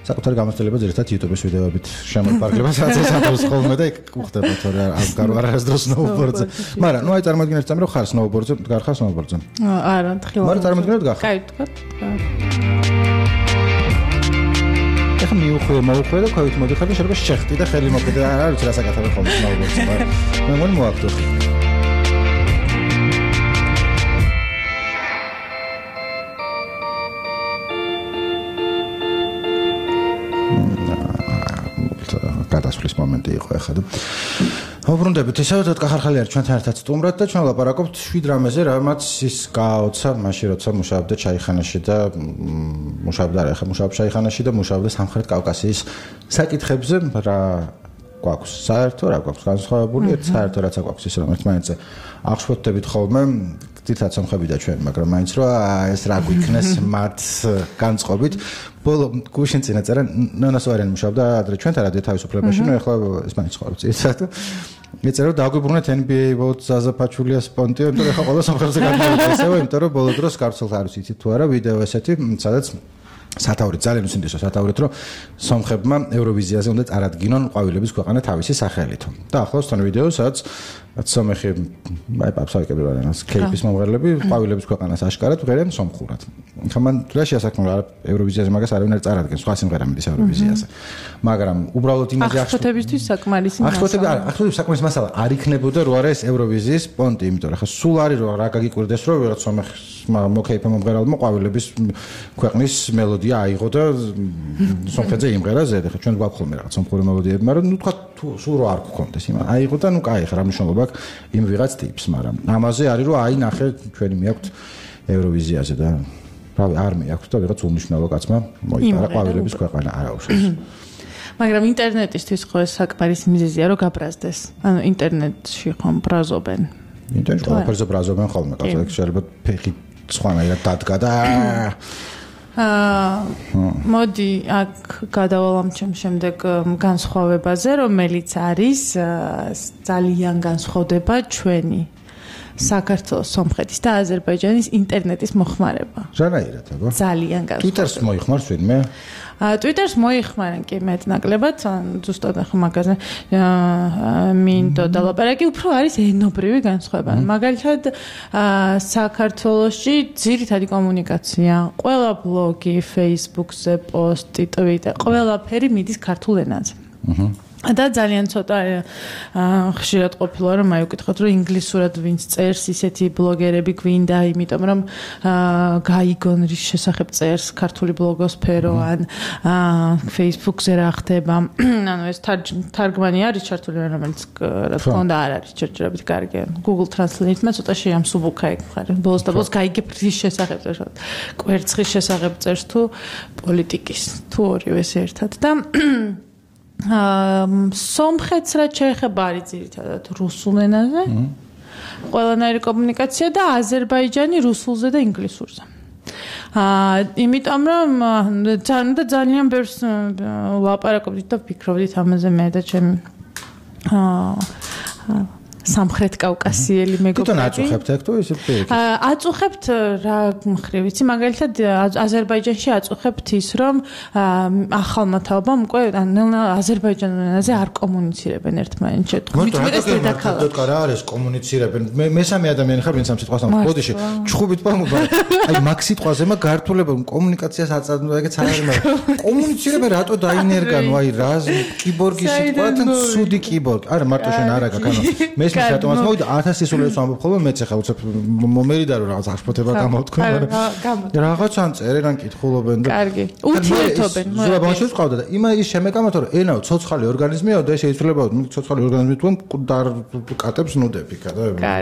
საკუთარი გამოცდილება ძირითადად YouTube-ის ვიდეოებით შემოფარგლება სადაც სადაც ხოლმე და იქ უხდება თორე არ გარო არასდროს სნოუბორდზე მაგრამ ნუ აი წარმოგიდგენთ წამი რომ ხარ სნოუბორდზე გარხარ სნოუბორდზე არა თხილად მაგრამ წარმოგიდგენთ გახარ კაი თქვა ხა მიუხვია მოუხვია და ქვევით მოდიხარ და შეიძლება შეხტი და ხელი მოკიდე არ არის რა საკეთებ ხოლმე მაგას მე მგონი მოაქვს გადასვლის მომენტი იყო ახლა და ვუბრუნდებით ისევ და კახარხალი არის ჩვენთან ერთად სტუმრად და ჩვენ ვლაპარაკობთ შვიდ რამეზე რამაც ის გააოცა მაშინ როცა მუშაობდა ჩაიხანაში და მუშაობდა რა ახლა მუშაობს ჩაიხანაში და მუშაობდა სამხრეთ კავკასიის საკითხებზე რა გვაქვს საერთო რა გვაქვს განსხვავებული ერთ საერთო რაც გვაქვს ის რომ ერთმანეთზე აღშფოთდებით ხოლმე თითქოს სამხები და ჩვენ მაგრამ მაინც რა ეს რა გვიქნეს მათ განწყობით ბოლო გუშინ წინა წერა ნანასვარიანი მუშაობდა ადრე ჩვენთან რადიო თავისუფლებაში ნუ ახლა ეს მაინც ცხოვრობს ისეთ მეწერა დაგვიბრუნეთ ენ ბი ეი ვოთ ზაზაფაჩულიას პონტიო იმიტომ ახლა ყველა სამხრეთზე გადმოვიდა ესევე იმიტომ რომ ბოლო დროს გავრცელდა არის იცით თუ არა ვიდეო ესეთი სადაც სათაური ძალიან უსინდისო სათაურით რომ სომხებმა ევროვიზიაზე უნდა წარადგინონ ყვავილების ქვეყანა თავისი სახელით და ახლავს თან ვიდეო სადაც სომეხი აი პაპსაიკები ვარენას კეიპის მომღერლები ყვავილების ქვეყანას აშკარად ვღერენ სომხურად ხა მან რა შეასაქმნო ევროვიზიაზე მაგას არავინ არ წარადგენს სხვა სიმღერა მიდის ევროვიზიაზე მაგრამ უბრალოდ იმაზე აღშფოთებისთვის საკმარისი მასალა აღშფოთები არა აღშფოთების საკმარისი მასალა არ იქნებოდა რო არა ეს ევროვიზიის პონტი იმიტომ რომ ხა სულ არის რომ რა გაგიკვირდეს რომ ვიღაც სომეხს მოკეიფა მომღერალმა ყვავილების ქვეყნის მელოდია აიღო და სომხეთზე იმღერა ზედ ხა ჩვენ გვაქვს ხოლმე რაღაც სომხური მელოდიები მაგრამ ნუ თქვა სულ რო არ გქონდეს იმ აიღო და ნუ კაი ხა რა მნიშვნელობა აქვს იმ ვიღაც ტიპს მაგრამ ამაზე არის რომ აი ნახე ჩვენი მიაქვთ ევროვიზიაზე და რავი არ მეაქვთ და ვიღაც უმნიშვნელო კაცმა მოიპარა ყვავილების ქვეყანა არა უშავს მაგრამ ინტერნეტისთვის ხო ეს საკმარისი მიზეზია რომ გაბრაზდეს ანუ ინტერნეტში ხომ ბრაზობენ ინტერნეტში ყველაფერზე ბრაზობენ ხოლმე კაცო შეიძლება ფეხი სხვანაირად დადგა და აა მოდი აქ გადავალამ ჩემ შემდეგ განსხვავებაზე რომელიც არის ძალიან განსხვავდება ჩვენი საქართველოს სომხეთის და აზერბაიჯანის ინტერნეტის მოხმარება რანაირად აბა ძალიან განსხვავდება ტვიტერს მოიხმარს ვინმე ტვიტერს მოიხმარენ კი მეტნაკლებად ზუსტად ახლა მაგაზე მინდო და ლაპარაკი უფრო არის ენობრივი განსხვავება მაგალითად საქართველოში ძირითადი კომუნიკაცია ყველა ბლოგი Facebook-ზე პოსტი ტვიტერ ყველაფერი მიდის ქართულ ენაზე და ძალიან ცოტა ხშირად ყოფილა რომ აი უკითხოთ რომ ინგლისურად ვინც წერს ისეთი ბლოგერები გვინდა იმიტომ რომ გაიგონ რის შესახებ წერს ქართული ბლოგოსფერო ან Facebook-ზე რა ხდება ანუ ეს თარგმანი არის ჩართული რომელიც რა თქმა უნდა არ არის ჯერჯერობით კარგი Google Translate-მა ცოტა შეამსუბუქა ეგ ხარ ბოლოს და ბოლოს გაიგებ რის შესახებ წერს კვერცხის შესახებ წერს თუ პოლიტიკის თუ ორივეს ერთად და აა სომხეთს რა შეეხება არის ძირითადად რუსულ ენაზე. ყველანაირი კომუნიკაცია და აზერბაიჯანი რუსულზე და ინგლისურზე. აა იმიტომ რომ ძალიან ბევრს ვაპარაკობდით და ვფიქრობდით ამაზე მე და ჩემი აა სამხრეთ კავკასიელი მეგობრები. თვითონ აწუხებთ ეგ თუ ისე პირიქით? აწუხებთ რა მხრივ, იცი, მაგალითად აზერბაიჯანში აწუხებთ ის, რომ ახალმა თაობამ უკვე აზერბაიჯანულ ენაზე არ კომუნიცირებენ ერთმანეთს. უიტყვეს დედაქალაქ. რა არის კომუნიცირებენ? მე მესამე ადამიანი ხარ, ვინც ამ სიტყვას ამბობს. ბოდიში, ჩხუბით პამობა. აი მაგ სიტყვაზე მაგ გართულება კომუნიკაციას აწარმოება, ეგეც არ არის, მაგრამ კომუნიცირებენ რატო დაინერგანო, აი რა კიბორგის სიტყვათან ცუდი კიბორგი. არა, მარტო შენ არა გაკანო. მე ეს რატომაც მოვიდა ათას სისულელს ვამბობ ხოლმე მეც ახლა უცებ მომერიდა რომ რაღაც აღშფოთება გამოვთქვი მაგრამ რაღაცან წერენ კითხულობენ და კარგი ურთიერთობენ ზურა ბავშვებს ყავდა და იმა ის შემეკამათ რომ ენაო ცოცხალი ორგანიზმია და შეიძლება ცოცხალი ორგანიზმი თუ კატებს ნუდები და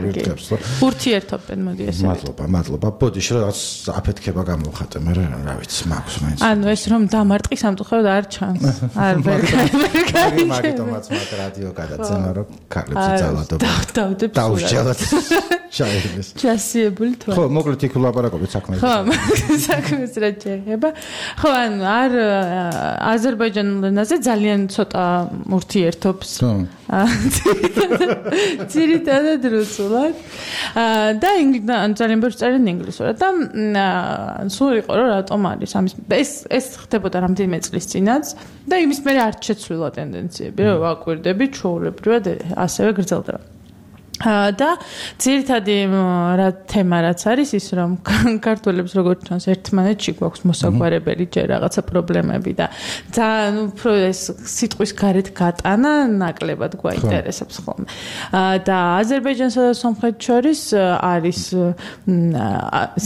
ვირთებს ურთიერთობენ მოდი ესე მადლობა მადლობა ბოდიში რაღაც აფეთქება გამოვხატე მე რა ვიცი მაქვს მაინც ანუ ეს რომ დამარტყი სამწუხაროდ არ ჩანს არ ვერ კარგი მაგიტომაც მაგ რადიო გადაცემა რომ ქალებს იცავდა დავდებ დაუშალოთ ჩაირდეს ჩასიებული თვა ხო მოკლედ იქ ვლაპარაკობთ საქმეზე ხო საქმეს რა შეიძლება ხო ანუ არ აზერბაიჯანულ ენაზე ძალიან ცოტა ურთიერთობს ძირითადად რუსულად და ძალიან ბევრს წერენ ინგლისურად და სულ იყო რომ რატომ არის ამის ეს ეს ხდებოდა რამდენიმე წლის წინაც და იმის მერე არ შეცვლილა ტენდენციები რომ ვაკვირდები ჩვეულებრივად ასევე გრძელდება და ძირითადი რა თემა რაც არის ის რომ ქართველებს როგორც ჩანს ერთმანეთში გვაქვს მოსაგვარებელი ჯერ რაღაცა პრობლემები და ძალიან უფრო ეს სიტყვის გარეთ გატანა ნაკლებად გვაინტერესებს ხოლმე და აზერბაიჯანსა და სომხეთს შორის არის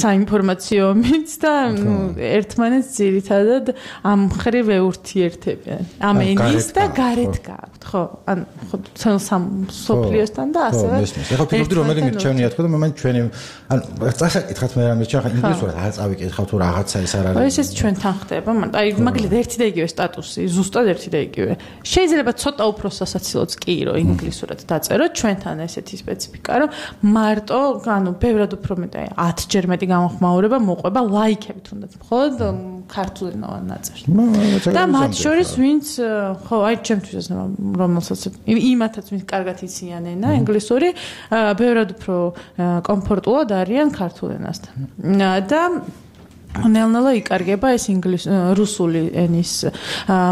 საინფორმაციო ომიც და ერთმანეთს ძირითადად ამ მხრივ ეურთიერთებიან ამ ენის და გარეთ გააქვთ ხო ან ხო სოფლიოსთან და ასევე ეხლა ფიქრობდი რომ მე მირჩევნია თქო და მე მან ჩვენი ან წასაკითხათ მე რა მირჩა ინგლისურად არ წავიკითხავ თუ რაღაცა ის არ არის ეს ჩვენთან ხდება აი მაგალითად ერთი და იგივე სტატუსი ზუსტად ერთი და იგივე შეიძლება ცოტა უფრო სასაცილოც კი რომ ინგლისურად დაწეროთ ჩვენთან ესეთი სპეციფიკა რომ მარტო ანუ ბევრად უფრო მეტი აი ათჯერ მეტი გამოხმაურება მოყვება ლაიქები თუნდაც მხოლოდ ქართულენოვან ნაწერს და მათ შორის ვინც ხო აი ჩემთვის რომელსაც იმათაც ვინც კარგად იციან ენა ინგლისური ბევრად უფრო კომფორტულად არიან ქართულ ენასთან და ნელ-ნელა იკარგება ეს ინგლისური რუსული ენის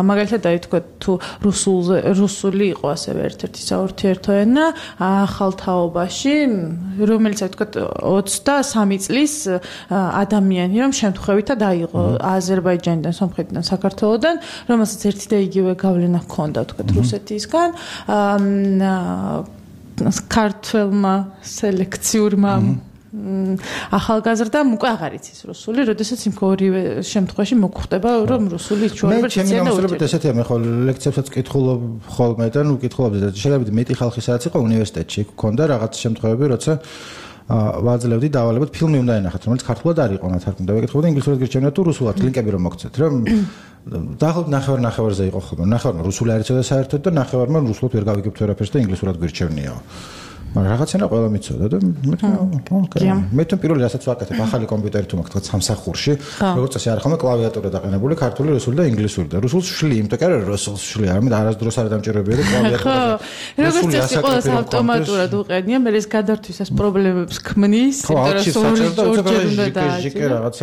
მაგალითად აი თქვა თუ რუსულზე რუსული იყო ასევე ერთ-ერთი საურთიერთო ენა ახალ თაობაში რომელიც აი თქვა ოცდასამი წლის ადამიანი რომ შემთხვევითად აიღო აზერბაიჯანიდან სომხეთიდან საქართველოსდან რომელსაც ერთი და იგივე გავლენა ჰქონდა თქვა რუსეთისგან ქართველმა სელექციურმა ახალგაზრდამ უკვე აღარ იცის რუსული, როდესაც იმ ორივე შემთხვევაში მოგხვდება რომ რუსული ჩვეულებრივ იციან. მე ჩემი ესეთია მე ხო ლექციებსაც კითხულობ ხოლმე და ნუ კითხულობდი და შეიძლება მეტი ხალხი სადაც იყო უნივერსიტეტში ქონდა რაღაც შემთხვევები, როცა ვაძლევდი დავალებოთ ფილმი უნდა ენახათ, რომელიც ქართულად არ იყო ნათარგმნი და ვეკითხავდი ინგლისურად გირჩევნია თუ რუსულად ლინკები რომ მოგცეთ რომ დაახლოებით ნახევარ ნახევარზე იყო ხოლმე. ნახევარმა რუსული არ იცოდა საერთოდ და ნახევარმა რუსულად ვერ გავიგებთ ვერაფერს და ინგლისურად გირჩევნიაო. მაგრამ რაღაცენა ყველა მიცოდა და მე მე თვითონ პირველი რასაც ვაკეთებ ახალი კომპიუტერი თუ მაქვს სამსახურში როგორც წესი არ ხომ კლავიატურა დაყენებული ქართული რუსული და ინგლისური და რუსულს ვშლი იმიტომ კი არა რუსულს ვშლი არამედ არასდროს არ დამჭირებია და კლავიატურა როგორც წესი ყველას ავტომატურად უყენია მე ეს გადართვის ეს პრობლემებს ქმნის იმიტომ რომ ორჯერ უნდა დააჭიროს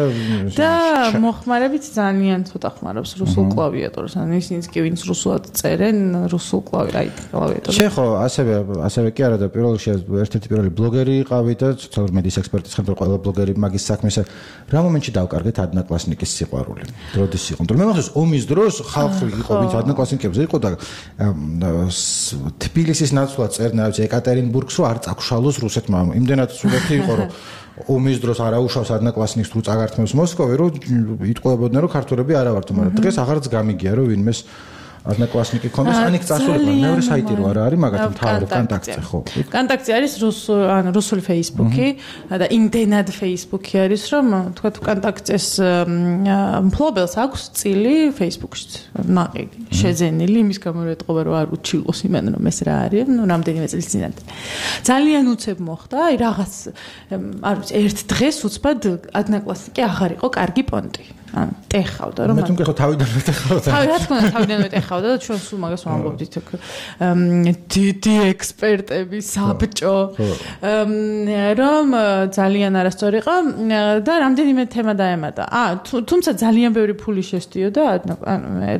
და მოხმარებით ძალიან ცოტა ხმარობს რუსულ კლავიატურას ან ისინიც კი ვინც რუსულად წერენ რუსულ კლავიატურას შე ხო ასევე ასევე კი არა და პირველ ერთ-ერთი პირველი ბლოგერი იყავი და სოციალური მედიის ექსპერტის ხელმძღვანელი ყველა ბლოგერი მაგის საქმესა რა მომენტში დავკარგეთ ადნაკლასნიკის სიყვარული როდის იყო მე მახსოვს ომის დროს ხალხი იყო ვინც ადნაკლასნიკებზე იყო და თბილისის ნაცვლად წერდნენ რა ვიცი ეკატერინბურგს რომ არ წაგშალოს რუსეთმა იმდენად სულეთი იყო რომ ომის დროს არ აუშავს ადნაკლასნიკს თუ წაგართმევს მოსკოვი რომ იტყუებოდნენ რომ ქართველები არა ვართ მაგრამ დღეს აღარც გამიგია რომ ვინმეს ადნაკლასნიკი ქონდეს ანიქ წასული მეორე საიტი რო არა არის მაგათი მთავარი კონტაქტზე ხო კონტაქტზე არის რუსული ან რუსული Facebook-ი და იმდენად Facebook-ი არის რომ თქვა თუ კონტაქტეს მფლობელს აქვს წილი Facebook-ში ნაყიდი შეძენილი იმის გამო რომ ეთყობა რომ არ უჩილოს იმენ რომ ეს რა არის ნუ რამდენიმე წლის წინათ ძალიან უცებ მოხდა აი რაღაც არ ვიცი ერთ დღეს უცბად ადნაკლასნიკი აღარ იყო კარგი პონტი ან ტეხავდა რომ მე თვითონ ხო თავიდან მეტეხავდა თავი რა თქმა უნდა თავიდან მეტეხავდა და ჩვენ სულ მაგას ვამბობდით დიდი ექსპერტები საბჭო რომ ძალიან არასწორი იყო და რამდენიმე თემა დაემატა ა თუმცა ძალიან ბევრი ფული შესდიოდა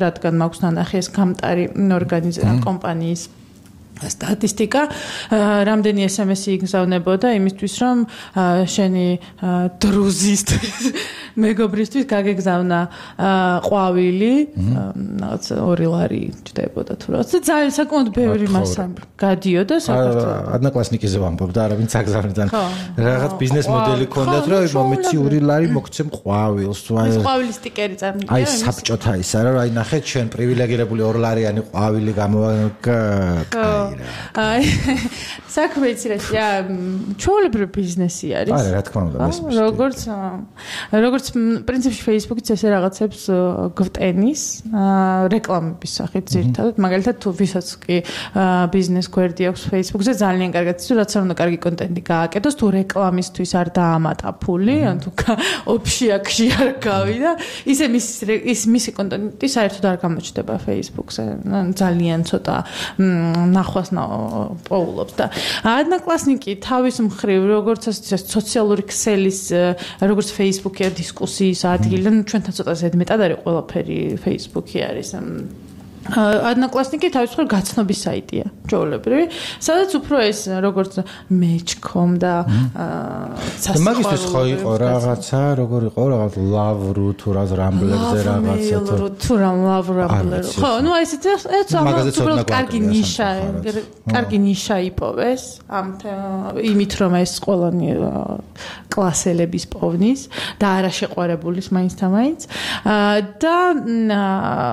რადგან მაქვს ნანახი ეს გამტარი ორგანიზაცია კომპანიის სტატისტიკა რამდენი ეს ემ ესი იგზავნებოდა იმისთვის რომ შენი დრუზისტვის მეგობრისთვის გაგეგზავნა ყვავილი რაღაც ორი ლარი ჯდებოდა თუ რა ძალიან საკმაოდ ბევრი მასა გადიოდა საქართველოს ადნაკლასნიკიზე ვამბობ და არავინ წაგზავნიდან რაღაც ბიზნეს მოდელი ქონდათ რომ მომეცი ორი ლარი მოგცემ ყვავილს ეს ყვავილის სტიკერი წარმოგიდგენთ აი საბჭოთა ის არა აი ნახეთ ჩვენ პრივილეგირებული ორ ლარიანი ყვავილი გამოვაკა აი საქმე იცი რა ჩვეულებრივი ბიზნესი არის არა რა თქმა უნდა მესმის როგორც როგორც პრინციპში Facebook-იც ესე რაღაცებს გვტენის რეკლამების სახით ძირითადად მაგალითად თუ ვისაც კი ბიზნეს გვერდი აქვს Facebook-ზე ძალიან კარგად იცი რაც არ უნდა კარგი კონტენტი გააკეთოს თუ რეკლამისთვის არ დაამატა ფული ან თუ ოფშიაქში არ გავიდა ისე მის ის მისი კონტენტი საერთოდ არ გამოჩნდება Facebook-ზე ძალიან ცოტა ნახვას პოულობს და ადნაკლასნიკი თავის მხრივ როგორც ეს სოციალური ქსელის როგორც Facebook-ია დისკუსიის ადგილი ჩვენთან ცოტა ზედმეტად არის ყველაფერი Facebook-ი არის Одноклассники თავის მხრივ გაცნობის საიტია, ჩვეულებრივი, სადაც უფრო ეს როგორც match.com და სასწავლო. მაგისთვის ხო იყო რაღაცა, როგორ იყო რაღაც Love.ru თუ რა Rambler-ზე რაღაცა თუ რა Love.ru. ხო, ну ესეც ეს უბრალოდ კარგი ნიშა, კარგი ნიშა იპოვეს ამ იმით რომ ეს ყველანი კლასელების პოვნის და არა შეყვარებულის მაინც და მაინც. და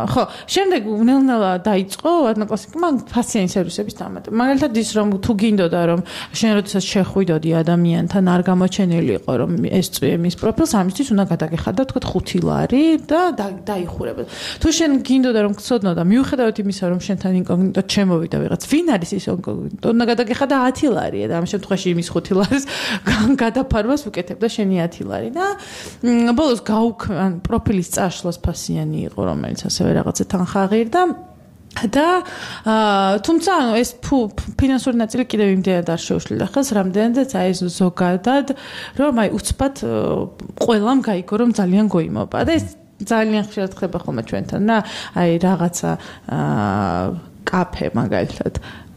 ხო, შემდეგ ნელა დაიწყო Одноклассники-მა ფასიანი სერვისების დამატება. მაგალითად ის რომ თუ გინდოდა რომ შენ როდესაც შეხვიდოდი ადამიანთან არ გამოჩენილი იყო რომ ეს წვიე მის პროფილს ამისთვის უნდა გადაგეხადა თქვა ხუთი ლარი და დაიხურება. თუ შენ გინდოდა რომ გწოდნო და მიუხედავად იმისა რომ შენთან ინკოგნიტო ჩემოვიდა ვიღაც ვინ არის ის ინკოგნიტო უნდა გადაგეხადა ათი ლარია და ამ შემთხვევაში იმის ხუთი ლარის გადაფარვას უკეთებდა შენი ათი ლარი და ბოლოს გაუქმ პროფილის წაშლას ფასიანი იყო რომელიც ასევე რაღაცა თანხა ღირდა და თუმცა ანუ ეს ფინანსური ნაწილი კიდევ იმდენად არ შეუშლიდა ხელს რამდენადაც აი ეს ზოგადად რომ აი უცბად ყველამ გაიგო რომ ძალიან გოიმობა და ეს ძალიან ხშირად ხდება ხოლმე ჩვენთან და აი რაღაცა კაფე მაგალითად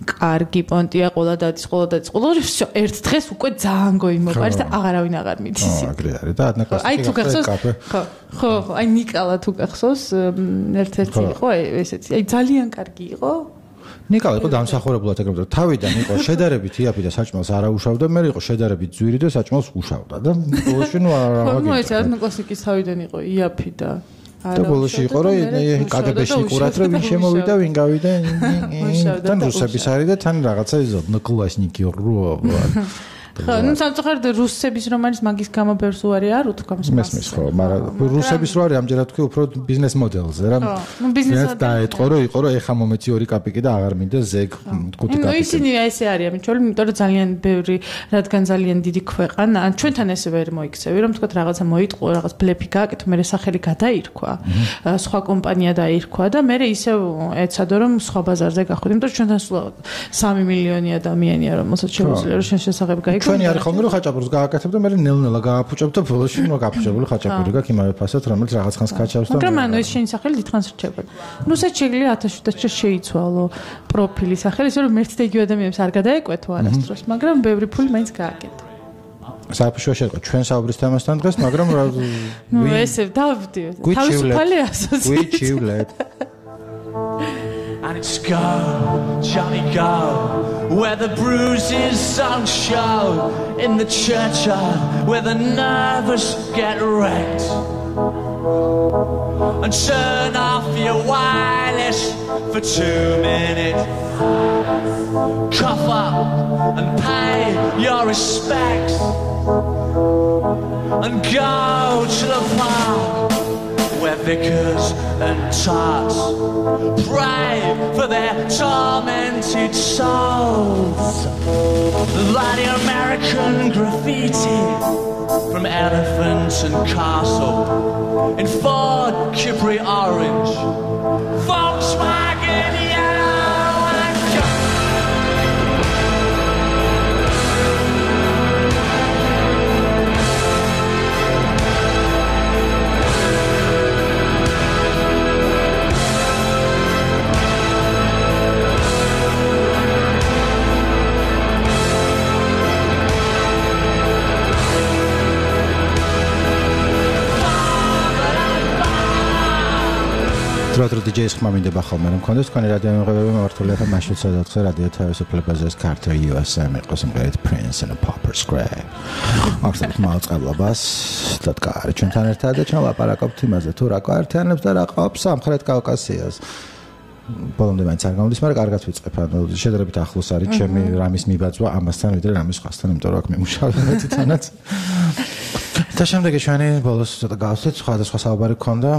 კარგი პონტია ყოლა დადის ყოლა დადის ყოლა ერთ დღეს უკვე ძალიან გოიმობა არის და აღარავინ აღარ მიდის ისე. ხო, აგრე არის და Одноклассники აი თუ გახსოვს ხო ხო აი ნიკალა თუ გახსოვს ერთ-ერთი იყო ესეთი აი ძალიან კარგი იყო ნიკალა იყო დამსახურებულად ეგრევე თავიდან იყო შედარებით იაფი და საჭმელს არ აუშავდა მე იყო შედარებით ძვირი და საჭმელს უშავდა და ბოლოში ნუ არ აღარ ნუ ეს Одноклассники-ის თავიდან იყო იაფი და და ბოლოში იყო რომ კაგებეშნიკურად რომ ვინ შემოვიდა ვინ გავიდა თან რუსების არის და თან რაღაცა ის Одноклассники რო ხო, ну სამწუხაროდ რუსების რომ არის მაგის გამო ბერს უარი არ უთქვამს მას. მესმის ხო, მაგრამ რუსების რო არის ამჯერად თქვი უფრო ბიზნეს მოდელზე რა. ნუ ბიზნესად დაეთყო რომ იყო რომ ეხა მომეცი ორი კაპიკი და აღარ მინდა ზეგ ხუთი კაპიკი. ნუ ისინი ესე არიან მიჩველი, იმიტომ რომ ძალიან ბევრი რადგან ძალიან დიდი ქვეყანა, ჩვენთან ესე ვერ მოიქცევი რომ თქვა რაღაცა მოიტყო, რაღაც ბლეფი გააკეთო, მე სახელი გადაირქვა, სხვა კომპანია დაირქვა და მე ისე ეცადო რომ სხვა ბაზარზე გახვიდე, იმიტომ რომ ჩვენთან სულ სამი მილიონი ადამიანია რომელსაც შეუძლია რომ შენ შესაძლებელი გაიგო. ჩვენი არის ხოლმე რომ ხაჭაპურს გააკეთებ და მე ნელ-ნელა გააფუჭებ და ბოლოში ნუ გაფუჭებული ხაჭაპური გაქვს იმავე ფასად რომელიც რაღაც ხანს გაჩავს და მაგრამ ანუ ეს შენი სახელი დიდხანს რჩებოდა. ნუ შეჩეგლია ათას შვიდას შეიცვალო პროფილი სახელი ისე რომ ერთ და იგივე ადამიანებს არ გადაეკვეთო არასდროს მაგრამ ბევრი ფული მაინც გააკეთა. საფშოში იყო ჩვენ საუბრის თემასთან დღეს მაგრამ ნუ ესე დავდივ თავისუფალი ასოციაცია. გვიჩივლეთ And it's go, Johnny go, where the bruises don't show, in the churchyard where the nervous get wrecked. And turn off your wireless for two minutes. Cough up and pay your respects. And go to the park where vicars and tarts pray for their tormented souls. Bloody American graffiti from Elephant and Castle in Ford Capri Orange, Volkswagen Yellow and დროდრო დიჯეის ხმა მინდება ხოლმე რომ მქონდეს თქვენი რადიო მიღებები მართული ახლა მაშინ სადაც რადიო თავისუფლებაზე ეს Carter U S A იყოს იმღერით Prince and a Pauper Scrap. ახლა მოაწყებლობას დადგარი ჩვენთან ერთად და ჩვენ ლაპარაკობთ იმაზე თუ რა კვარტიანებს და რა ყავს სამხრეთ კავკასიას. ბოლომდე მაინც არ გამოდის, მაგრამ კარგად ვიწყებ. ანუ შედარებით ახლოს არის ჩემი რამის მიბაძვა ამასთან ვიდრე რამის სხვასთან, იმიტომ რომ აქ მიმუშავე თვითონაც. და შემდეგი ჩვენი ბოლოს ცოტა გავსვით, სხვადასხვა საუბარი გქონდა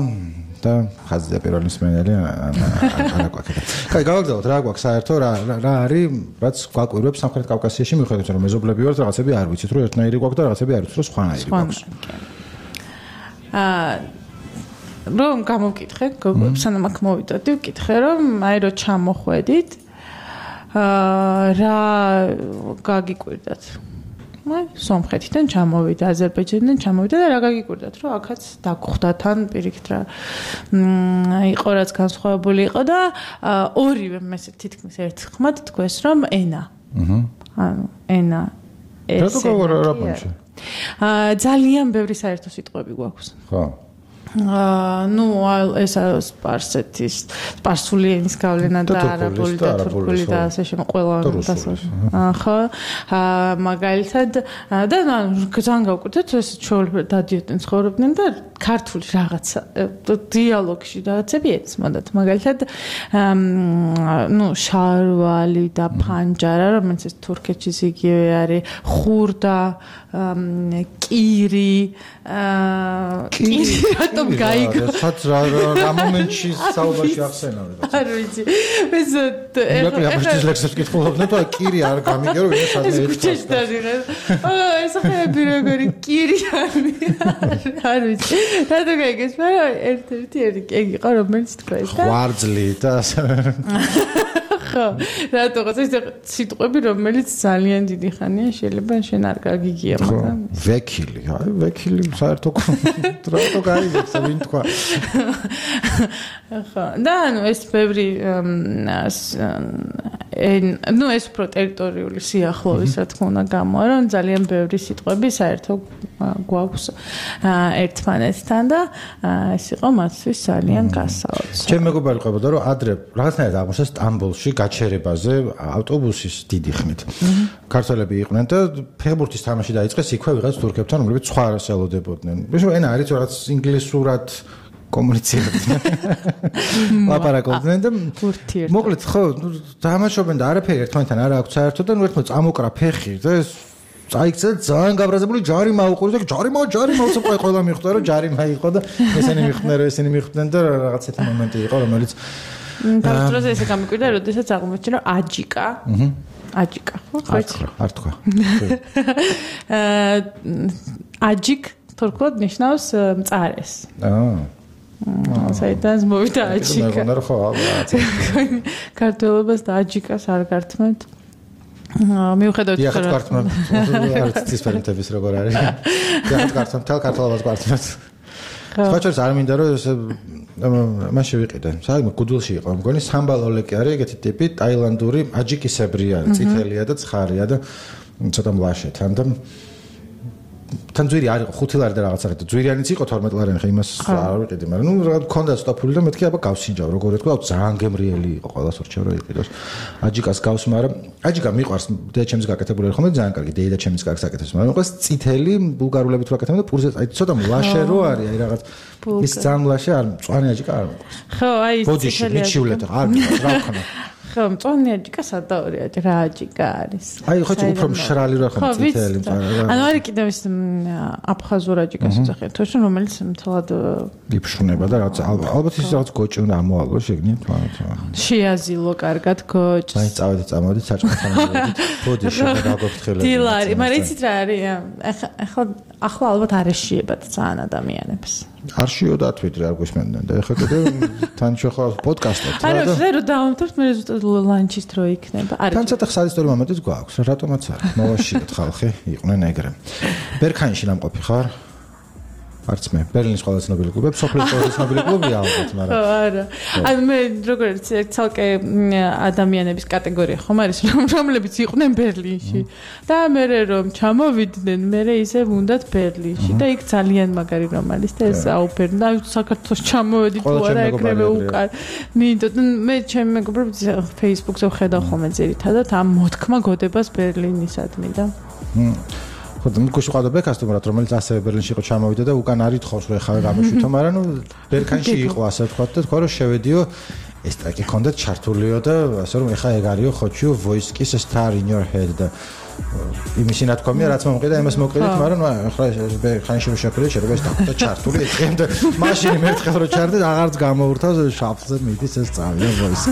და ხაზზე პირველი მსმენელი არა გვაქვს. კაი, გავაგზავნოთ რა გვაქვს საერთო, რა რა არის, რაც გვაკვირვებს სამხრეთ კავკასიაში, მიუხედავად რომ მეზობლები ვართ, რაღაცები არ ვიცით, რომ ერთნაირი გვაქვს და რაღაცები არ ვიცით, რომ სხვანაირი გვაქვს. აა რომ გამოვკითხე, სანამ აქ მოვიდოდი, ვკითხე რომ აი რო ჩამოხვედით, აა რა გაგიკვირდათ. სომხეთიდან ჩამოვიდა, აზერბაიჯანიდან ჩამოვიდა და რა გაგიკვირდათ, რომ აქაც დაგხვდა თან პირიქით რა. იყო რაც განსხვავებული იყო და ორივე მე თითქმის ერთხმად თქვეს, რომ ენა. აჰა. ანუ ენა ეს. რა გაგორაპანში? ძალიან ბევრი საერთო სიტყვები გვაქვს. ხო. აა ნუ ეს სპარსეთის სპარსული ენის გავლენა და არაბული და თურქული და ასე შემო ყველა ხო აა მაგალითად და ძალიან გავკვირდეთ ეს ჩვეულებრივ დადიოდნენ ცხოვრობდნენ და ქართული რაღაცა დიალოგში რაღაცები ეცმოდათ მაგალითად ნუ შარვალი და ფანჯარა რომელიც ეს თურქეთში იგივე არის ხურდა კირი აა კირი რატომ გაიგო რაც რა მომენტში საუბარში ახსენავდა არ ვიცი ეს ეხლა ეხლა ლექსებს კითხულობდნენ და კირი არ გამიგე რომ ეს სადმე ეს აა ეს ხები როგორი კირი არ ვიცი რატომ გაიგეს მაგრამ ერთ-ერთი ეგ იყო რომელიც თქვა ეს და ღვარძლი და ხო რატოღაც ეს სიტყვები რომელიც ძალიან დიდი ხანია შეიძლება შენ არ გაგიგია მაგრამ ვექილი აი ვექილი საერთო რატო გაიგებს ვინ თქვა ხო და ანუ ეს ბევრი ნუ ეს უფრო ტერიტორიული სიახლოვის რა თქმა უნდა გამოა რომ ძალიან ბევრი სიტყვები საერთო გვაქვს ერთმანეთთან და ეს იყო მათთვის ძალიან გასაოცარი ჩემ მეგობარი ყვებოდა რომ ადრე რაღაცნაირად აღმოჩნდა სტამბოლში გაჩერებაზე ავტობუსის დიდი ხმით ქართველები იყვნენ და ფეხბურთის თამაში დაიწყეს იქვე ვიღაც თურქებთან რომლებიც სხვა რას ელოდებოდნენ ბიჭო ენა არის რაღაც ინგლისურად კომუნიცირებდნენ ლაპარაკობდნენ და მოკლედ ხო დამაშობენ და არაფერი ერთმანეთთან არ აქვს საერთო და ნუ ერთმანეთს წამოკრა ფეხი და ეს წაიქცა ძალიან გაბრაზებული ჯარი მაუყურე და ჯარი მაუ ჯარი მაუცე ყველა მიხვდა რომ ჯარი მაიყო და ესენი მიხვდნენ რომ ესენი მიხვდნენ და რაღაც ერთი მომენტი იყო რომელიც დავწერე ესე გამიკვირდა როდესაც აღმოჩნდა რომ აჯიკა აჰა აჯიკა ხო არ თქვა აჯიკ თურქულად ნიშნავს მწარეს აა საერთოდ მოვიდა აჯიკა მე გონდა რომ ხო ალბათ ქართველობას და აჯიკას არ გართმევთ მიუხედავად ისე რომ გართმევთ არ ცისფერმთების როგორ არის გახეთ გართმევთ თელ ქართველობას გართმევთ ხოჭერს არ მინდა რომ ეს მან შევიყიდე საერთოდ გუდულში იყო მგონი სამბალოლეკი არის ეგეთი ტიპი ტაილანდური აჯიკისებრი არის წითელია და ცხარია და ცოტა მლაშე თან და თან ძვირი არ იყო ხუთი ლარი და რაღაცა და ძვირიანიც იყო თორმეტ ლარიანი ხა იმას არ ვიყიდი მაგრამ ნუ რაღაც მქონდა სტოფული და მეთქი აბა გავსინჯავ როგორ ეთქვა ძალიან გემრიელი იყო ყველას ურჩევ რომ იყიდოს აჯიკას გავს მაგრამ აჯიკა მიყვარს და ჩემს გაკეთებული ხომ და ძალიან კარგი დეიდა ჩემს კარგს აკეთებს მაგრამ ყოს წითელი ბულგარულები თუ აკეთებენ და პურზე აი ცოტა მლაშე რო არის აი რაღაც ის ძალიან მლაშე არ მწვანე აჯიკა არ მიყვარს ხო აი ეს ბოდიში მიჩივლეთ არ მიყვარს რა ვქნა ხო მწვანე აჯიკა სადაური რა აჯიკა არის აი ხო უფრო მშრალი რა ხომ წითელი ანუ არის კიდევ ის აფხაზურ აჯიკას ეძახიან თუ შენ რომელიც მთლად იფშუნება და რაღაც ალბათ ის რაღაც გოჭი უნდა ამოალო შეგნით შეაზილო კარგად გოჭს აი წავედი წამოვედი საჭმელთან ბოდიში და გაგოფრთხილებ დილარი მაგრამ იცით რა არის ახლა ახლა ალბათ არ ეშიებათ ძალიან ადამიანებს არ შიოდათ ვიდრე არ გვისმენდნენ და ეხლა კიდე თან შეხო პოდკასტად რა და არა რომ დავამთავრეთ მე ზუსტად ლანჩის დრო იქნება არის თან ცოტა ხსალისტორი მომენტიც გვაქვს რატომაც არა მოვაშიოთ ხალხი იყვნენ ეგრე ბერქანში ნამყოფი ხარ არც მე ბერლინის ყველა ცნობილი კლუბი სოფლის ყველა ცნობილი კლუბია ალბათ მაგრამ არა ანუ მე როგორც ცალკე ადამიანების კატეგორია ხომ არის რომლებიც იყვნენ ბერლინში და მე რომ ჩამოვიდნენ მე ისე უნდათ ბერლინში და იქ ძალიან მაგარი რომ არის და ეს აუფერნა საქართველოს ჩამოვედი თუ არა ეგრევე უკან მინდოდ მე ჩემი მეგობრებს Facebook-ზე ვხედავ ხოლმე ძირითადად ამ მოთქმა გოდებას ბერლინისადმი და ხო და მიქუში ყავდა ბეკასტუმრად რომელიც ასევე ბერლინში იყო ჩამოვიდა და უკან არ ითხოვს რომ ეხლა გამოშვითო მაგრამ ნუ ბერქანში იყო ასე ვთქვათ და თქვა რომ შევედიო ეს ტრეკი ქონდა ჩართულიო და ასე რომ ეხლა ეგ არისო ხოჩიო voice-ის star in your head და იმისი ნათქვამია რაც მომყიდა იმას მოკრედით მაგრამ ახლა ბერქანში შეფერე შეიძლება ეს და ჩართული ეწემ და მაშინ მერთხელ რო ჩარდე აღარც გამოურთავს შაფზე მიდის ეს წავია voice-ი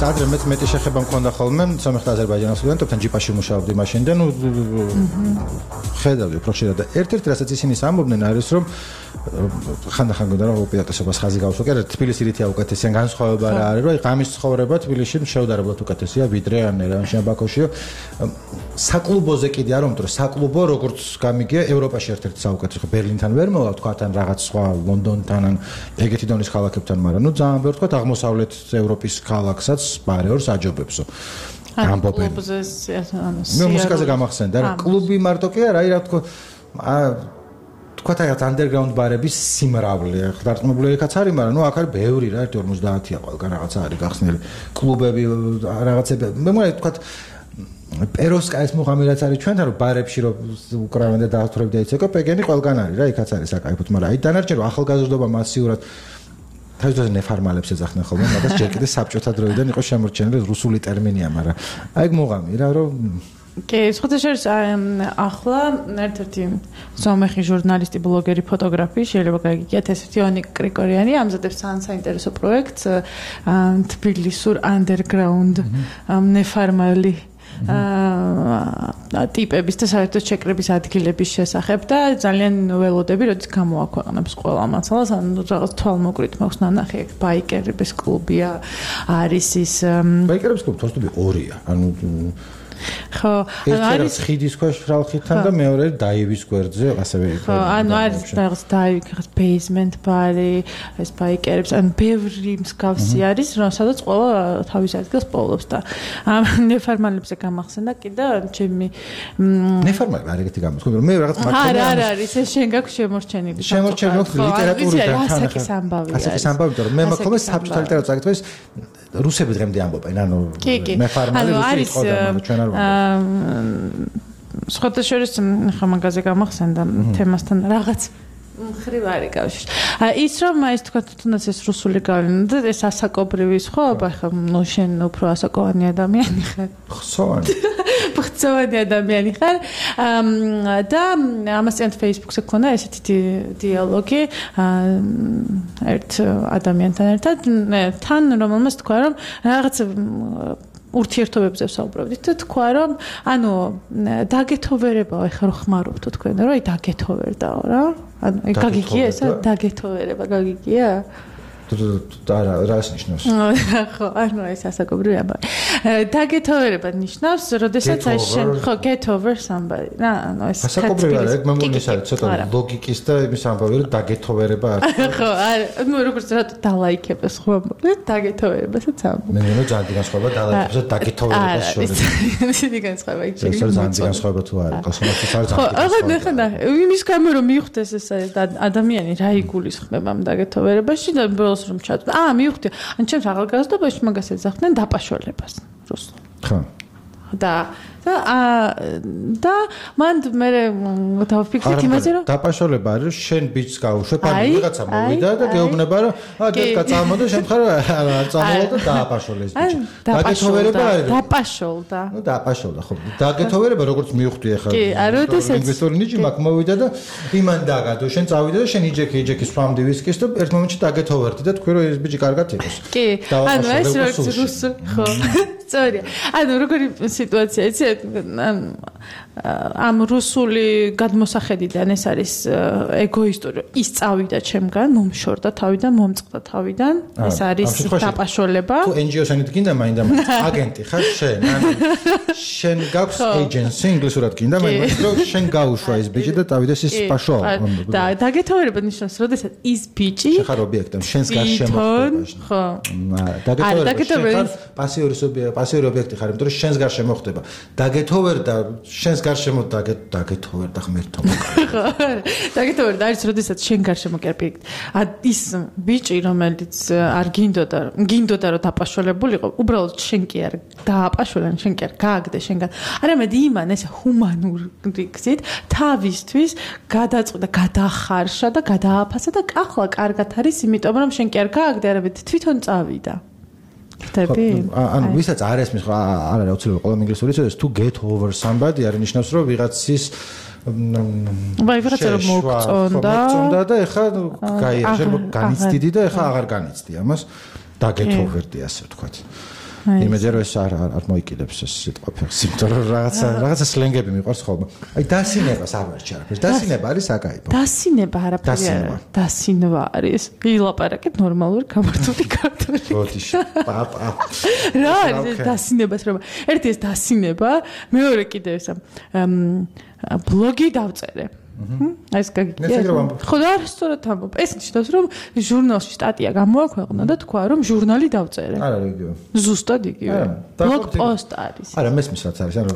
ადრე მეც მეტი შეხება მქონდა ხოლმე სომეხ აზერბაიჯანის სტუდენტებთან ჯიპაში მუშაობდი მაშინ და ნუ ხედავდი უფრო ხშირად და ერთ-ერთი რასაც ისინი ამბობდნენ არის რომ ხანდახან გონდა რომ უპირატესობას ხაზი გავუსვა კი არა თბილისი რითია უკეთესია განსხვავება რა არის რომ აი ღამის ცხოვრება თბილისში შეუდარებლად უკეთესია ვიდრე ან ერევანში ან ბაქოში საკლუბოზე კიდე არ ვამბობ რომ საკლუბო როგორც გამიგია ევროპაში ერთ-ერთი საუკეთესო ხო ბერლინთან ვერ მოვა თქვა თან რაღაც სხვა ლონდონთან ან ეგეთი დონის ქალაქებთან მაგრამ ნუ ძალიან ბევრ თქვა აღმოსავლეთ ევროპის ქალაქსაც პარეორს აჯობებსო ამბობენ მე მუსიკაზე გამახსენდა რა კლუბი მარტო კი არა აი რა თქო თქვათ აი underground ბარების სიმრავლე ხდარტყმებული რიქაც არის მაგრამ ნუ აქ არის ბევრი რა ერთი ორმოცდაათია ყველგან რაღაცა არის გახსნილი კლუბები რაღაცები მე მგონი თქვათ პეროსკაის მუღამი რაც არის ჩვენთან რომ ბარებში რომ უკრავენ და დაავთრები და იცეკო პეგენი ყველგან არის რა იქაც არის საკაიფოდ მაგრამ აი დანარჩენ რომ ახალგაზრდობა მასიურად თავისთავად ნეფარმალებს ეძახდნენ ხოლმე მაგას ჯერ კიდე საბჭოთა დროიდან იყო შემორჩენილი რუსული ტერმინია მაგრამ აი მუღამი რა რომ კი, სხვადასხვა ახლა ერთ-ერთი სომეხი ჟურნალისტი, ბლოგერი, ფოტოგრაფი, შეიძლება გაგიგიათ ეს თიონი კრიკორიანი ამზადებს ძალიან საინტერესო პროექტს თბილისურ underground ნეფარმალი ტიპების და საერთოდ შეკრების ადგილების შესახებ და ძალიან ველოდები, როდის გამოაქვეყნებს ყველა მასალას, ანუ რაღაც თვალმოკვით მაქვს ნანახი, ბაიკერების კლუბია, არის ის ბაიკერების კლუბი თორსტები ორია, ანუ ხო, ანუ არის ხიდის ქვეშ ფრალხითან და მეორე დაივის გვერდზე ასევე ხო, ანუ არის რაღაც დაივი, რაღაც basement ბარი, ეს ბაიკერებს, ანუ ბევრი მსგავსი არის, სადაც ყველა თავის ადგილს პოულობს და ამ ნეფარმალებზე გამახსენდა კიდე ჩემი ნეფარმალი არ ეგეთი გამოსხდა, მე რაღაც მართლა არა, არა, არის ეს შენ გაქვს შემორჩენილი. შემორჩენილი ლიტერატურიდან თან ასაკის ამბავი არის. ასაკის ამბავი, იმიტომ რომ მე მაქონდა საბჭოთა ლიტერატურა წაკითხვის რუსები დღემდე ამბობენ, ანუ ნეფარმალი რუსი იყო და ჩვენ აა სხვადასხვა ხა მაგაზე გამახსენდა თემასთან რაღაც მხრივ არის კავშირი. ის რომ ის თქვა თუნდაც ეს რუსული გავლენა და ეს ასაკობრივი სხვაობა ხა ნუ შენ უფრო ასაკოვანი ადამიანი ხარ. ხსოვანი. ხსოვანი ადამიანი ხარ. და ამასთან Facebook-ზე ქონა ესეთი დიალოგი ერთ ადამიანთან ერთად თან რომელმაც თქვა რომ რაღაც ურთიერთობებზე ვსაუბრობდით და თქვა რომ ანუ დაგეთოვერებაო ეხლა რო ხმარობთ თქვენ რომ აი დაგეთოვერდაო რა ანუ გაგიგია ეს დაგეთოვერება გაგიგია და რას ნიშნავს? ხო, ანუ ეს ასაკობრივი ამბავი. დაგეთოვერება ნიშნავს, როდესაც აი შენ ხო get over somebody. რა, ანუ ეს ასაკობრივი არა, ეგ მე მგონი ეს არის ცოტა ლოგიკის და იმის ამბავი, რომ დაგეთოვერება არის. ხო, არა, ну როგორც რა დალაიქებს ხო ამბობ, დაგეთოვერებასაც ამბობ. მე მგონი ძალიან განსხვავება დალაიქებს და დაგეთოვერებას შორის. ისეთი განსხვავება იქ შეიძლება. ეს ძალიან განსხვავება თუ არა, კოსმოსის არის ძალიან. ხო, ახლა ხანდა იმის გამო რომ მიხვდეს ეს ადამიანი რა იგულისხმება ამ დაგეთოვერებაში და რომ ჩატო. აა, მივხვდი. ან ჩემს ახალგაზრდობაში მაგას ეძახდნენ დაპაშოლებას რუსულად. ხო. და და და მან მე დავფიქრეთ იმაზე რომ დაპაშოლება არის შენ ბიჭს გაუშვებ ან ვიღაცა მოვიდა და გეუბნება რომ აა დედკა წამოდა შენ ხარ არ წამოვა და დააპაშოლეს ბიჭი. დაგეთოვერება არის დაპაშოლდა. ნუ დაპაშოლდა ხო. დაგეთოვერება როგორც მივხვდი ახლა. კი, არა როდესაც ინვესტორი ნიჭი მაგ მოვიდა და იმან დაგადო შენ წავიდა და შენ იჯექი იჯექი სვამდი ვისკის და ერთ მომენტში დაგეთოვერდი და თქვი რომ ეს ბიჭი კარგად იყოს. კი, ანუ ეს როგორც რუსული ხო. სწორია. ანუ როგორი სიტუაცია იცი ამ რუსული გადმოსახედიდან ეს არის ეგოისტური ის წავიდა ჩემგან მომშორდა თავიდან მომწყდა თავიდან ეს არის დაპაშოლება თუ en-gi o-სანით გინდა მაინდა მაინც აგენტი ხარ შენ ანუ შენ გაქვს agency ინგლისურად გინდა მაინც რომ შენ გაუშვა ეს ბიჭი და დავიდეს ის პაშო და დაგეთოვერება ნიშნავს როდესაც ის ბიჭი შენ ხარ ობიექტი შენს გარშემო ხო დაგეთოვერება პასიური პასიური ობიექტი ხარ იმიტომ რომ შენს გარშემო ხდება დაგეთოვერდა შენს გარშემო დაგეთოვერდა ღმერთო ხო დაგეთოვერდა არის როდესაც შენ გარშემო კერპიკ ის ბიჭი რომელიც არ გინდოდა გინდოდა რომ დაპაშოლებულიყო უბრალოდ შენ კი არ დააპაშოლე შენ კი არ გააგდე შენგან არამედ იმან ეს ჰუმანური გზით თავისთვის გადაწყვიტა გადახარშა და გადააფასა და ახლა კარგად არის იმიტომ რომ შენ კი არ გააგდე არამედ თვითონ წავიდა ანუ ვისაც არ ესმის ხო არ არის აუცილებელი ყველა ინგლისური იცოდეს თუ get over somebody არ ნიშნავს რომ ვიღაცის ვაი ვიღაცა რომ მოგწონდა მოგწონდა და ეხა გაიარჟე განიცდიდი და ეხა აღარ განიცდი ამას დაგეთოვერდი ასე ვთქვათ იმედია რომ ეს არ არ მოიკიდებს ეს სიტყვა ფეხს, იმიტომ რომ რაღაცა რაღაცა სლენგები მიყვარს ხოლმე. აი დასინებას არ ვერჩი არაფერს. დასინება არის აკაიბო. დასინება არაფერი არა. დასინვა არის. ილაპარაკეთ ნორმალური გამართული ქართული. ბოდიში. პაპა. რა არის დასინებას რომ ერთი ეს დასინება, მეორე კიდე ეს ბლოგი დავწერე. ეს გაგიგია. ხო და სწორად ამბობ. ეს ნიშნავს რომ ჟურნალში სტატია გამოაქვეყნა და თქვა რომ ჟურნალი დავწერე. არა იგივე. ზუსტად იგივე. ბლოგ პოსტ არის. არა მესმის რაც არის, ანუ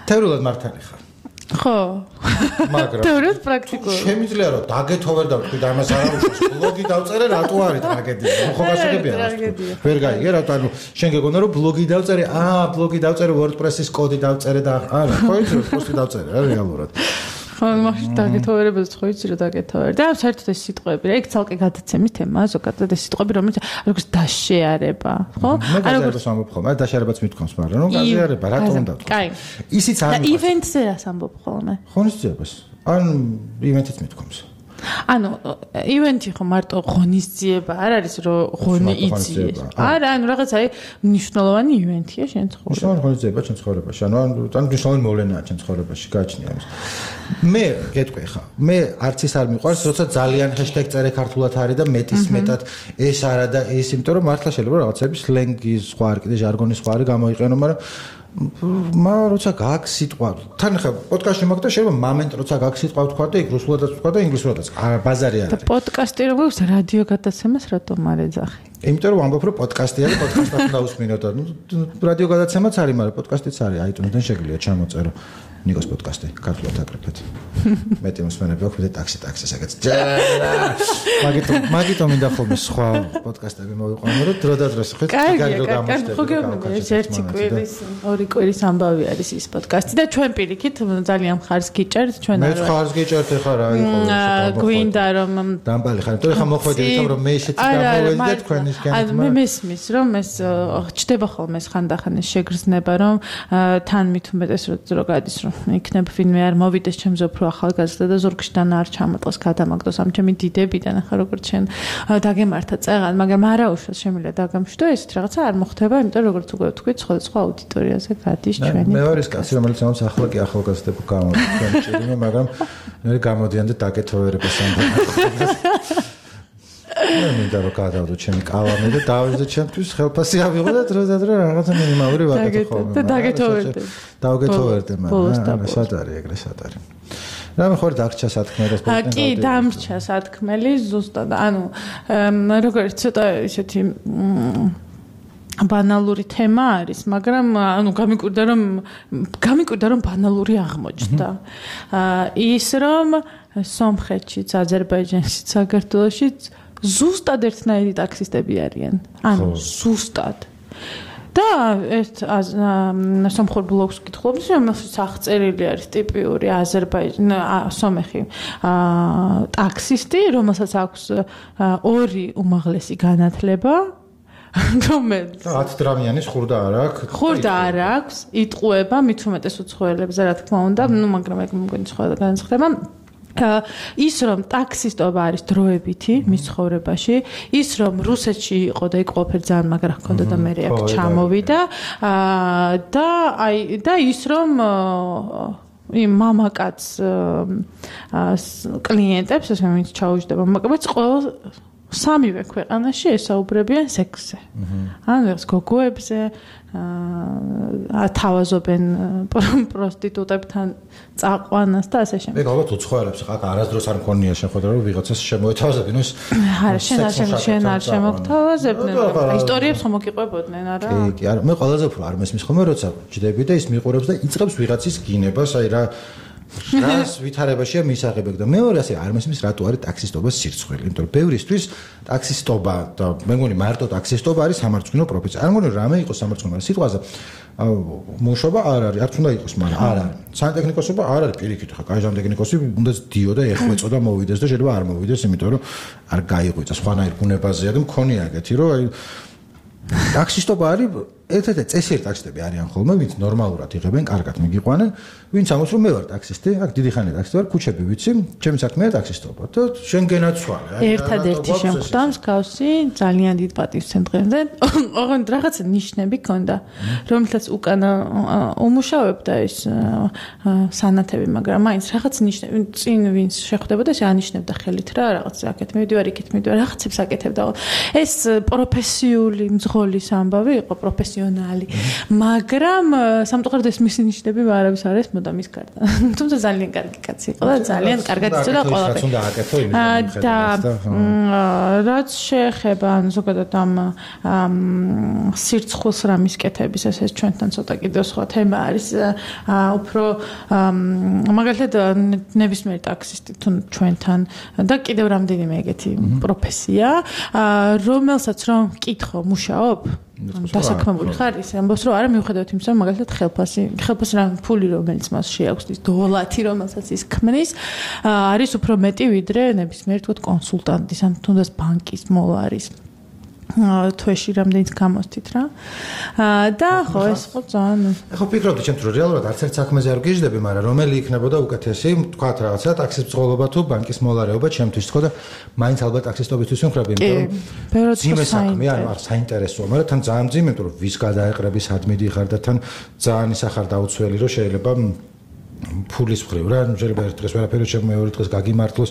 თეორიულად მართალი ხარ. ხო. მაგრამ თეორიულად პრაქტიკულად. შემიძლია რომ დაგეთო ვერ დავთქვი და ამას არ აუშავს. ბლოგი დავწერე რატო არის ტრაგედია? ხო გასაგებია. ვერ გაიგე რა, ანუ შენ გეგონა რომ ბლოგი დავწერე, აა ბლოგი დავწერე WordPress-ის კოდი დავწერე და არა, ხო იცი რომ პოსტი დავწერე რა რეალურად. ხო, მაშინ დაგეთოვერებებს ხო იცი რომ დაგეთოვერ. და საერთოდ ეს სიტყვები, რა, ეგ ცალკე გადაცემის თემაა, ზოგადად ეს სიტყვები, რომელიც როგორც დაშეარება, ხო? ანუ როგორც ამბობ ხოლმე, დაშეარებაც მithქვამს, მაგრამ რომ გაზიარება, რატომ უნდა თქვა? კაი. ისიც არ და ივენტზე რას ამბობ ხოლმე? ღონისძიებას. ან ივენტიც მithქვამს. ანუ ივენტი ხო მარტო ღონისძიება არ არის რომ ღონი იცი. არა, ანუ რაღაც აი მნიშვნელოვანი ივენტია შენ ცხოვრებაში. მნიშვნელოვანი ღონისძიება შენ ცხოვრებაში. ანუ ან მნიშვნელოვანი მოვლენაა შენ ცხოვრებაში, გააჩნია ამის. მე გეტყვი ხა, მე არც ის არ მიყვარს, როცა ძალიან ჰეშტეგი წერე ქართულად არის და მეტის მეტად ეს არა და ეს, იმიტომ რომ მართლა შეიძლება რაღაცები სლენგის სხვა არ კიდე ჟარგონის სხვა არის გამოიყენო, მაგრამ მა როცა გაქვს სიტყვა თან ხა პოდკასტში მაგ და შეიძლება მომენტ როცა გაქვს სიტყვა ვთქვა და იქ რუსულადაც ვთქვა და ინგლისურადაც ბაზარი არ არის. და პოდკასტი როგორც რადიო გადაცემას რატომ არ ეძახი? იმიტომ რომ ამბობ რომ პოდკასტი არის, პოდკასტად უნდა უსმინოთ და რადიო გადაცემაც არის, მაგრამ პოდკასტიც არის, აიტუნსიდან შეგიძლია ჩამოწერო. ნიკოს პოდკასტი ქართულად აკრეფეთ. მეტი მოსმენები აქვს და ტაქსი ტაქსი საკაც. მაგიტომ მაგიტომ მინდა ხოლმე სხვა პოდკასტები მოვიყვანო, რომ დრო და დროს ხო კარგია, კარგი, ხო გეუბნები, ერთი კვირის, ორი კვირის ამბავი არის ის პოდკასტი და ჩვენ პირიქით ძალიან ხარს გიჭერთ, ჩვენ არ. მე ხარს გიჭერთ ხა რა იყო ეს. გვინდა რომ დამბალი ხარ, იმიტომ ხა მოხვედრით რომ მე ისეთი გამოვედი და თქვენისგან. აი მე მესმის რომ ეს ჩდება ხოლმე ეს ხანდახან ეს შეგრძნება რომ თან მით უმეტეს რო გადის რომ იქნებ ვინმე არ მოვიდეს ჩემზე უფრო ახალგაზრდა და ზურგშიდან არ ჩამოტყოს გადამაგდოს ამ ჩემი დიდებიდან ახლა როგორც შენ დაგემართა წეღან, მაგრამ არა უშავს შემიძლია დაგამშვიდო ესეთ რაღაცა არ მოხდება, იმიტომ რომ როგორც უკვე ვთქვით, სხვადასხვა აუდიტორიაზე გადის ჩვენი. მე ვარ ის კაცი, რომელიც ამას ახლა კი ახალგაზრდები გამოდის ჩვენ ჭირიმე, მაგრამ მე გამოდიან და დაგეთოვერებას ამბობ. მე მინდა რომ გადავდო ჩემი კალამი და დავიძე ჩემთვის ხელფასი ავიღო და დრო და დრო რაღაცა მინიმალური ვაკეთო ხოლმე. და დაგეთოვერდე. დავგეთოვერდე, მაგრამ სად არის ეგრე სად არის. რა მე ხوار დაგჭა სათქმელი და სპორტი. კი, დამრჩა სათქმელი ზუსტად. ანუ როგორც ცოტა ისეთი ბანალური თემა არის, მაგრამ ანუ გამიკვირდა რომ გამიკვირდა რომ ბანალური აღმოჩნდა. ის რომ სომხეთშიც, აზერბაიჯანშიც, საქართველოშიც ზუსტად ერთნაირი ტაქსისტები არიან. ანუ ზუსტად. და ეს სომხურ ბლოგს კითხულობთ, რომელსაც აღწერილი არის ტიპიური აზერბაიჯანი, სომეხი ტაქსისტი, რომელსაც აქვს ორი უმაღლესი განათლება. რომელიც ათ დრამიანის ხურდა არ აქვს. ხურდა არ აქვს, იტყუება მით უმეტეს უცხოელებზე, რა თქმა უნდა, ნუ მაგრამ ეგ მგონი სხვა განსხვავება. ის რომ ტაქსისტობა არის დროებითი მის ცხოვრებაში, ის რომ რუსეთში იყო და იქ ყოფილი ძალიან მაგრა ჰქონდა და მე აქ ჩამოვიდა და აი და ის რომ იმ მამაკაც კლიენტებს ესე ვინც ჩაუჯდება მამაკაც ყოველ სამივე ქვეყანაში ესაუბრებიან სექსზე. ანუ ეს გოგოებზე ათავაზობენ პროსტიტუტებთან წაყვანას და ასე შემდეგ. მე ალბათ უცხოელებს ხა არასდროს არ მქონია შეხვედრა რომ ვიღაცას შემოეთავაზებინ ის. არა, შენ არ შენ არ შემოგთავაზებდნენ. ისტორიებს ხომ მოგიყვებოდნენ, არა? კი, კი, არა, მე ყველაზე უფრო არ მესმის ხოლმე როცა ჯდები და ის მიყურებს და იწყებს ვიღაცის გინებას, აი რა რას ვითარებაშია მისაღებები და მეორე ასე არ მესმის რატო არის ტაქსისტობის სირცხვილი, იმიტომ რომ ბევრისთვის ტაქსისტობა და მე მგონი მარტო ტაქსისტობა არის სამარცხვინო პროფესია. არ მგონი რამე იყოს სამარცხვინო სიტყვაზე მუშობა არ არის, არც უნდა იყოს, მაგრამ არ არის. სანტექნიკოსობა არ არის პირიქით, ხა კაი სანტექნიკოსი უნდა ძდიო და ეხვეწო და მოვიდეს და შეიძლება არ მოვიდეს, იმიტომ რომ არ გაიღვიძა სხვანაირ ბუნებაზეა და მქონია ეგეთი, რომ აი ტაქსისტობა არის ერთ-ერთი წესიერ ტაქსისტები არიან ხოლმე, ვინც ნორმალურად იღებენ, კარგად მიგიყვანენ, ვინც ამბობს რომ მე ვარ ტაქსისტი, აქ დიდი ხანია ტაქსისტი ვარ, ქუჩები ვიცი, ჩემი საქმეა ტაქსისტობა და შენ გენაცვალე. ერთადერთი შემხვდა მსგავსი ძალიან დიდ პატივცემდღემდე, ოღონდ რაღაცა ნიშნები ქონდა, რომელთაც უკანა უმუშავებდა ეს სანათები, მაგრამ მაინც რაღაც ნიშნები, წინ ვინც შეხვდებოდა, ეს ანიშნებდა ხელით რა, რაღაც აქეთ მივდივარ, იქეთ მივდივარ, რაღაცებს აკეთებდა. ეს პროფესიული მძღოლის ამბავი იყო, პროფესიონალი, მაგრამ სამწუხაროდ ეს მისი ნიშნები არავის არ არის მოდა მის გარდა. თუმცა ძალიან კარგი კაცი იყო და ძალიან კარგად იცოდა ყველაფერს. და რაც შეეხება ან ზოგადად ამ სირცხულს რა მისკეთების ესე ჩვენთან ცოტა კიდევ სხვა თემა არის უფრო მაგალითად ნებისმიერ ტაქსისტი თუ ჩვენთან და კიდევ რამდენიმე ეგეთი პროფესია რომელსაც რომ მკითხო მუშაობ დასაქმებული ხარ ის ამბობს რომ არა მიუხედავად იმისა რომ მაგალითად ხელფასი ხელფასი რა ფული რომელიც მას შეაქვს ის დოლარი რომელსაც ის ქმნის არის უფრო მეტი ვიდრე ნებისმიერ თქო კონსულტანტის ან თუნდაც ბანკის მოლარის თვეში რამდენიც გამოსთით რა და ხო ეს ხო ძალიან ხო ფიქრობდი ჩემ თუ რეალურად არც ერთ საქმეზე არ გიждები მაგრამ რომელი იქნებოდა უკეთესი თქვათ რაღაცა ტაქსის ბრძოლობა თუ ბანკის მოლარეობა ჩემთვის თქო და მაინც ალბათ ტაქსისტობისთვის ვიმხრები იმიტომ რომ ძიმე საქმე ანუ არ საინტერესოა მაგრამ თან ძალიან ძიმე იმიტომ რომ ვის გადაეყრები სად მიდიხარ და თან ძალიან ის ახარ დაუცველი რომ შეიძლება ფულის მხრივ რა შეიძლება ერთ დღეს ვერაფერი შემო მეორე დღეს გაგიმართლოს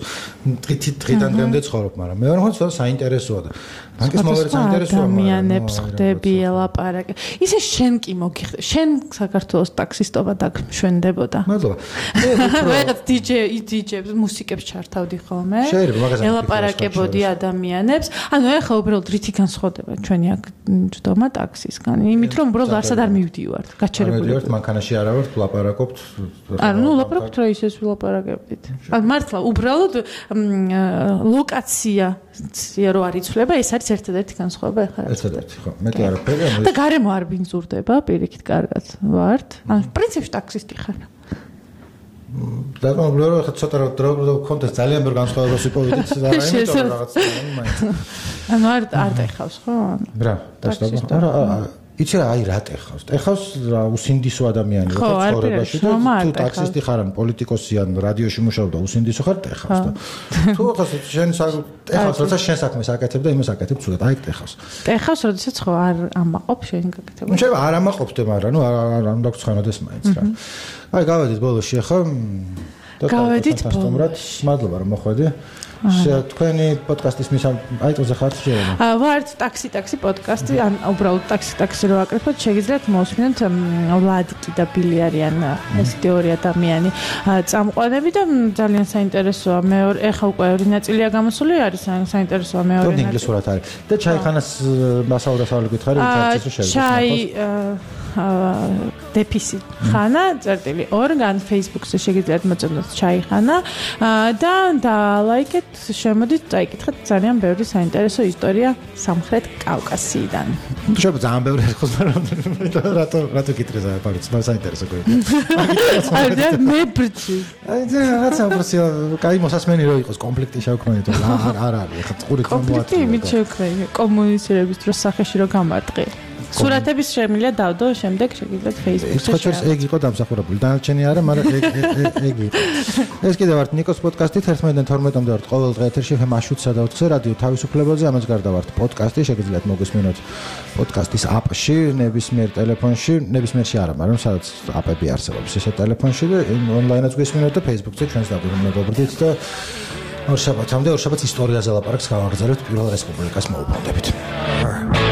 დღით დღიდან დღემდე ცხოვრობ მაგრამ მე ვარ ხო საინტერესოა და ბანკის მოლარი საინტერესოა ადამიანებს ხდები ელაპარაკე ისე შენ კი მოგიხდე შენ საქართველოს ტაქსისტობა დაგშვენდებოდა მადლობა მე რაღაც დიჯეი დიჯეებს მუსიკებს ჩართავდი ხოლმე ელაპარაკებოდი ადამიანებს ანუ ეხლა უბრალოდ რითი განსხვავდება ჩვენი აქ ჯდომა ტაქსისგან იმით რომ უბრალოდ არც არ მივდივართ გაჩერებული ვართ მანქანაში არა ვართ ვლაპარაკობთ ანუ ნუ ლაპარაკობთ რა ისეს ვილაპარაკებდით ანუ მართლა უბრალოდ ლოკაცია რო არ იცვლება ეს არის ერთადერთი განსხვავება ეხლა ერთადერთი ხო მეტი არაფერი და გარემო არ ბინძურდება პირიქით კარგად ვართ ანუ პრინციპში ტაქსისტი ხარ და მოგლო რომ ხა ცოტა დრო კონტეს ძალიან ბევრ განსხვავებას ვიპოვიდით და რა იმიტომ რაღაც მაინც ანუ არ არ ტეხავს ხო რა დასტობა არა იცი რა აი რა ტეხავს ტეხავს რა უსინდისო ადამიანი რო ცხოვრებაში და თუ ტაქსისტი ხარ ან პოლიტიკოსი ან რადიოში მუშაობ და უსინდისო ხარ ტეხავს და თუ ხას შენ ტეხავს როცა შენ საქმეს აკეთებ და იმას აკეთებ ცუდად აი ტეხავს ტეხავს როდესაც ხო არ ამაყობ შენ გაკეთებ ნუ შეიძლება არ ამაყობდე მაგრამ ნუ არ არ უნდა გცხანოდეს მაინც რა აი გავედით ბოლოში ახლა და გავედით ბოლოში მადლობა რომ მოხვედი თქვენი პოდკასტის მის აიტოზე ხართ შეიძლება? აა ვართ ტაქსი ტაქსი პოდკასტი, ან უბრალოდ ტაქსი ტაქსი რო აკრიფოთ, შეგიძლიათ მოსმინოთ ვლადიკი და ბილი არიან ესეთი ორი ადამიანი წამყვანები და ძალიან საინტერესოა. მეორე ეხა უკვე ორი ნაწილია გამოსული, არის საინტერესოა მეორე ნაწილი. ინგლისურად არის. და ჩაიხანას მასაურასავალი გითხარი, თარცის რო შევიდეთ. ჩაი დეფისი ხანა წერტილი ორგან Facebook-ზე შეგიძლიათ მოწმოთ ჩაიხანა და და ლაიქეთ შემოდით წაიკითხეთ ძალიან ბევრი საინტერესო ისტორია სამხრეთ კავკასიიდან. შეიძლება ძალიან ბევრი იყოს მაგრამ რატო რატო გიტრეზა პარიც მაგრამ საინტერესო გქონდა. აი და მე ბრჩი. აი და რაღაცა პროსი კაი მოსასმენი რო იყოს კონფლიქტი შევქმნით არ არ არის ხა ყური კომოატი. კონფლიქტი იმით შევქმნით კომუნიცირების დროს სახეში რო გამარტყი. სურათების შემიძლია დავდო შემდეგ შეგიძლიათ Facebook-ზე შეერა. ეს იყო დამსახურებული. დანარჩენი არა, მაგრამ ეგ ეგ იყო. ეს კიდევ ვართ ნიკოს პოდკასტი ერთმანეთთან თორმეტამდე ვართ ყოველ დღე ეთერში ხე მაშუცსა და ოთხზე რადიო თავისუფლებაზე ამას გარდა ვართ პოდკასტი შეგიძლიათ მოგესმინოთ პოდკასტის აპში ნებისმიერ ტელეფონში ნებისმიერში არა მაგრამ სადაც აპები არსებობს ესე ტელეფონში და ონლაინაც გესმინოთ და Facebook-ზე ჩვენს დაგვირგვინებობდით და ორ შაბათამდე ორ შაბათს ისტორიაზე ლაპარაკს გავაგრძელებთ პირველ რესპუბლიკას მოუბრუნდებით.